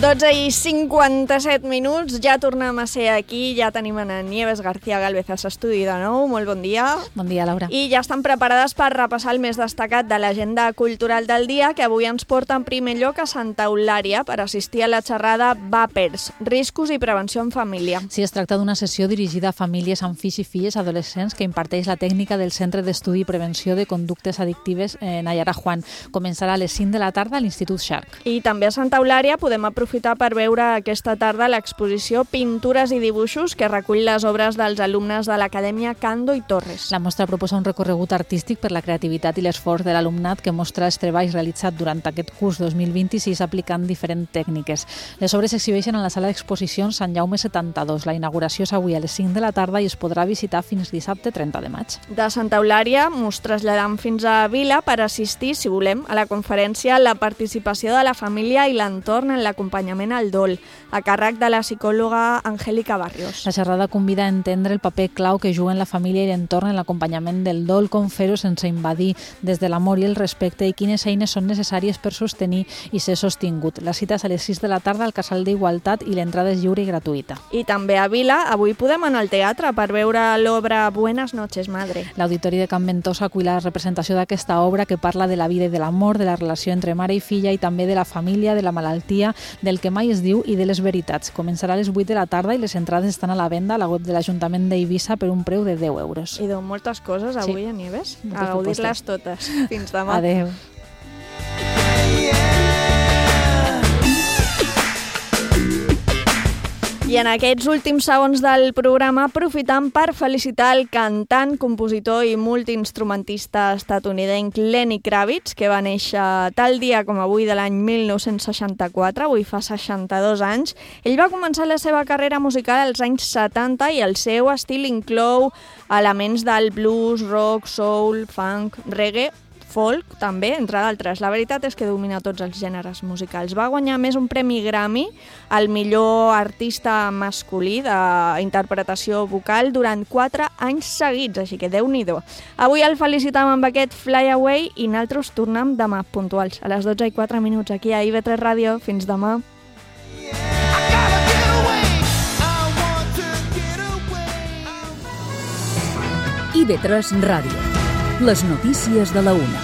dotze i cinquanta-set minuts, ja tornem a ser aquí, ja tenim en Nieves García Gálvez a l'estudi de nou. Molt bon dia. Bon dia, Laura. I ja estan preparades per repassar el més destacat de l'agenda cultural del dia, que avui ens porta en primer lloc a Santa Eulària per assistir a la xerrada Vapers, riscos i prevenció en família. Sí, es tracta d'una sessió dirigida a famílies amb fills i filles adolescents que imparteix la tècnica del Centre d'Estudi i Prevenció de Conductes Addictives en Nayara Juan. Començarà a les cinc de la tarda a l'Institut Shark. I també a Santa Eulària podem aprofitar per veure aquesta tarda l'exposició Pintures i dibuixos que recull les obres dels alumnes de l'Acadèmia Cando i Torres. La mostra proposa un recorregut artístic per la creativitat i l'esforç de l'alumnat que mostra els treballs realitzats durant aquest curs dos mil vint-i-sis aplicant diferents tècniques. Les obres s'exhibeixen en la sala d'exposicions Sant Jaume setanta-dos. La inauguració és avui a les cinc de la tarda i es podrà visitar fins dissabte trenta de maig. De Santa Eulària ens traslladam fins a Vila per assistir, si volem, a la conferència La participació de la família i l'entorn en l'acompanyament al dol, a càrrec de la psicòloga Angélica Barrios. La xerrada convida a entendre el paper clau que juguen la família i l'entorn en l'acompanyament del dol, com fer-ho sense invadir, des de l'amor i el respecte i quines eines són necessàries per sostenir i ser sostingut. La cita és a les sis de la tarda al Casal d'Igualtat i l'entrada és lliure i gratuïta. I també a Vila, avui podem anar al teatre per veure l'obra Buenas noches, madre. L'Auditori de Can Ventosa acull la representació d'aquesta obra que parla de la vida i de l'amor, de la relació entre mare i filla i també de la família, de la malaltia, del que mai es diu i de les veritats. Començarà a les vuit de la tarda i les entrades estan a la venda a la web de l'Ajuntament d'Eivissa per un preu de deu euros. I deu moltes coses avui, sí. A Nieves. A gaudir-les totes. Fins demà. Adéu. I en aquests últims segons del programa aprofitam per felicitar el cantant, compositor i multiinstrumentista estatunidenc Lenny Kravitz, que va néixer tal dia com avui de l'any mil nou-cents seixanta-quatre, avui fa seixanta-dos anys. Ell va començar la seva carrera musical als anys setanta i el seu estil inclou elements del blues, rock, soul, funk, reggae, folk, també, entre d'altres. La veritat és que domina tots els gèneres musicals. Va guanyar més un premi Grammy al millor artista masculí d'interpretació vocal durant quatre anys seguits, així que Déu-n'hi-do. Avui el felicitam amb aquest Fly Away i nosaltres tornem demà puntuals, a les dotze i quatre minuts, aquí a I V tres Ràdio. Fins demà. I V tres Ràdio. Les notícies de la una.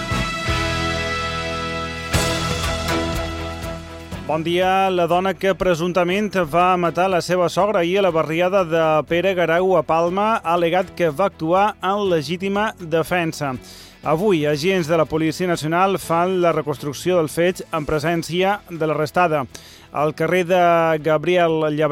Bon dia. La dona que presumptament va matar la seva sogra ahir a la barriada de Pere Garau a Palma ha al·legat que va actuar en legítima defensa. Avui, agents de la Policia Nacional fan la reconstrucció del fet en presència de l'arrestada. Al carrer de Gabriel Llabrer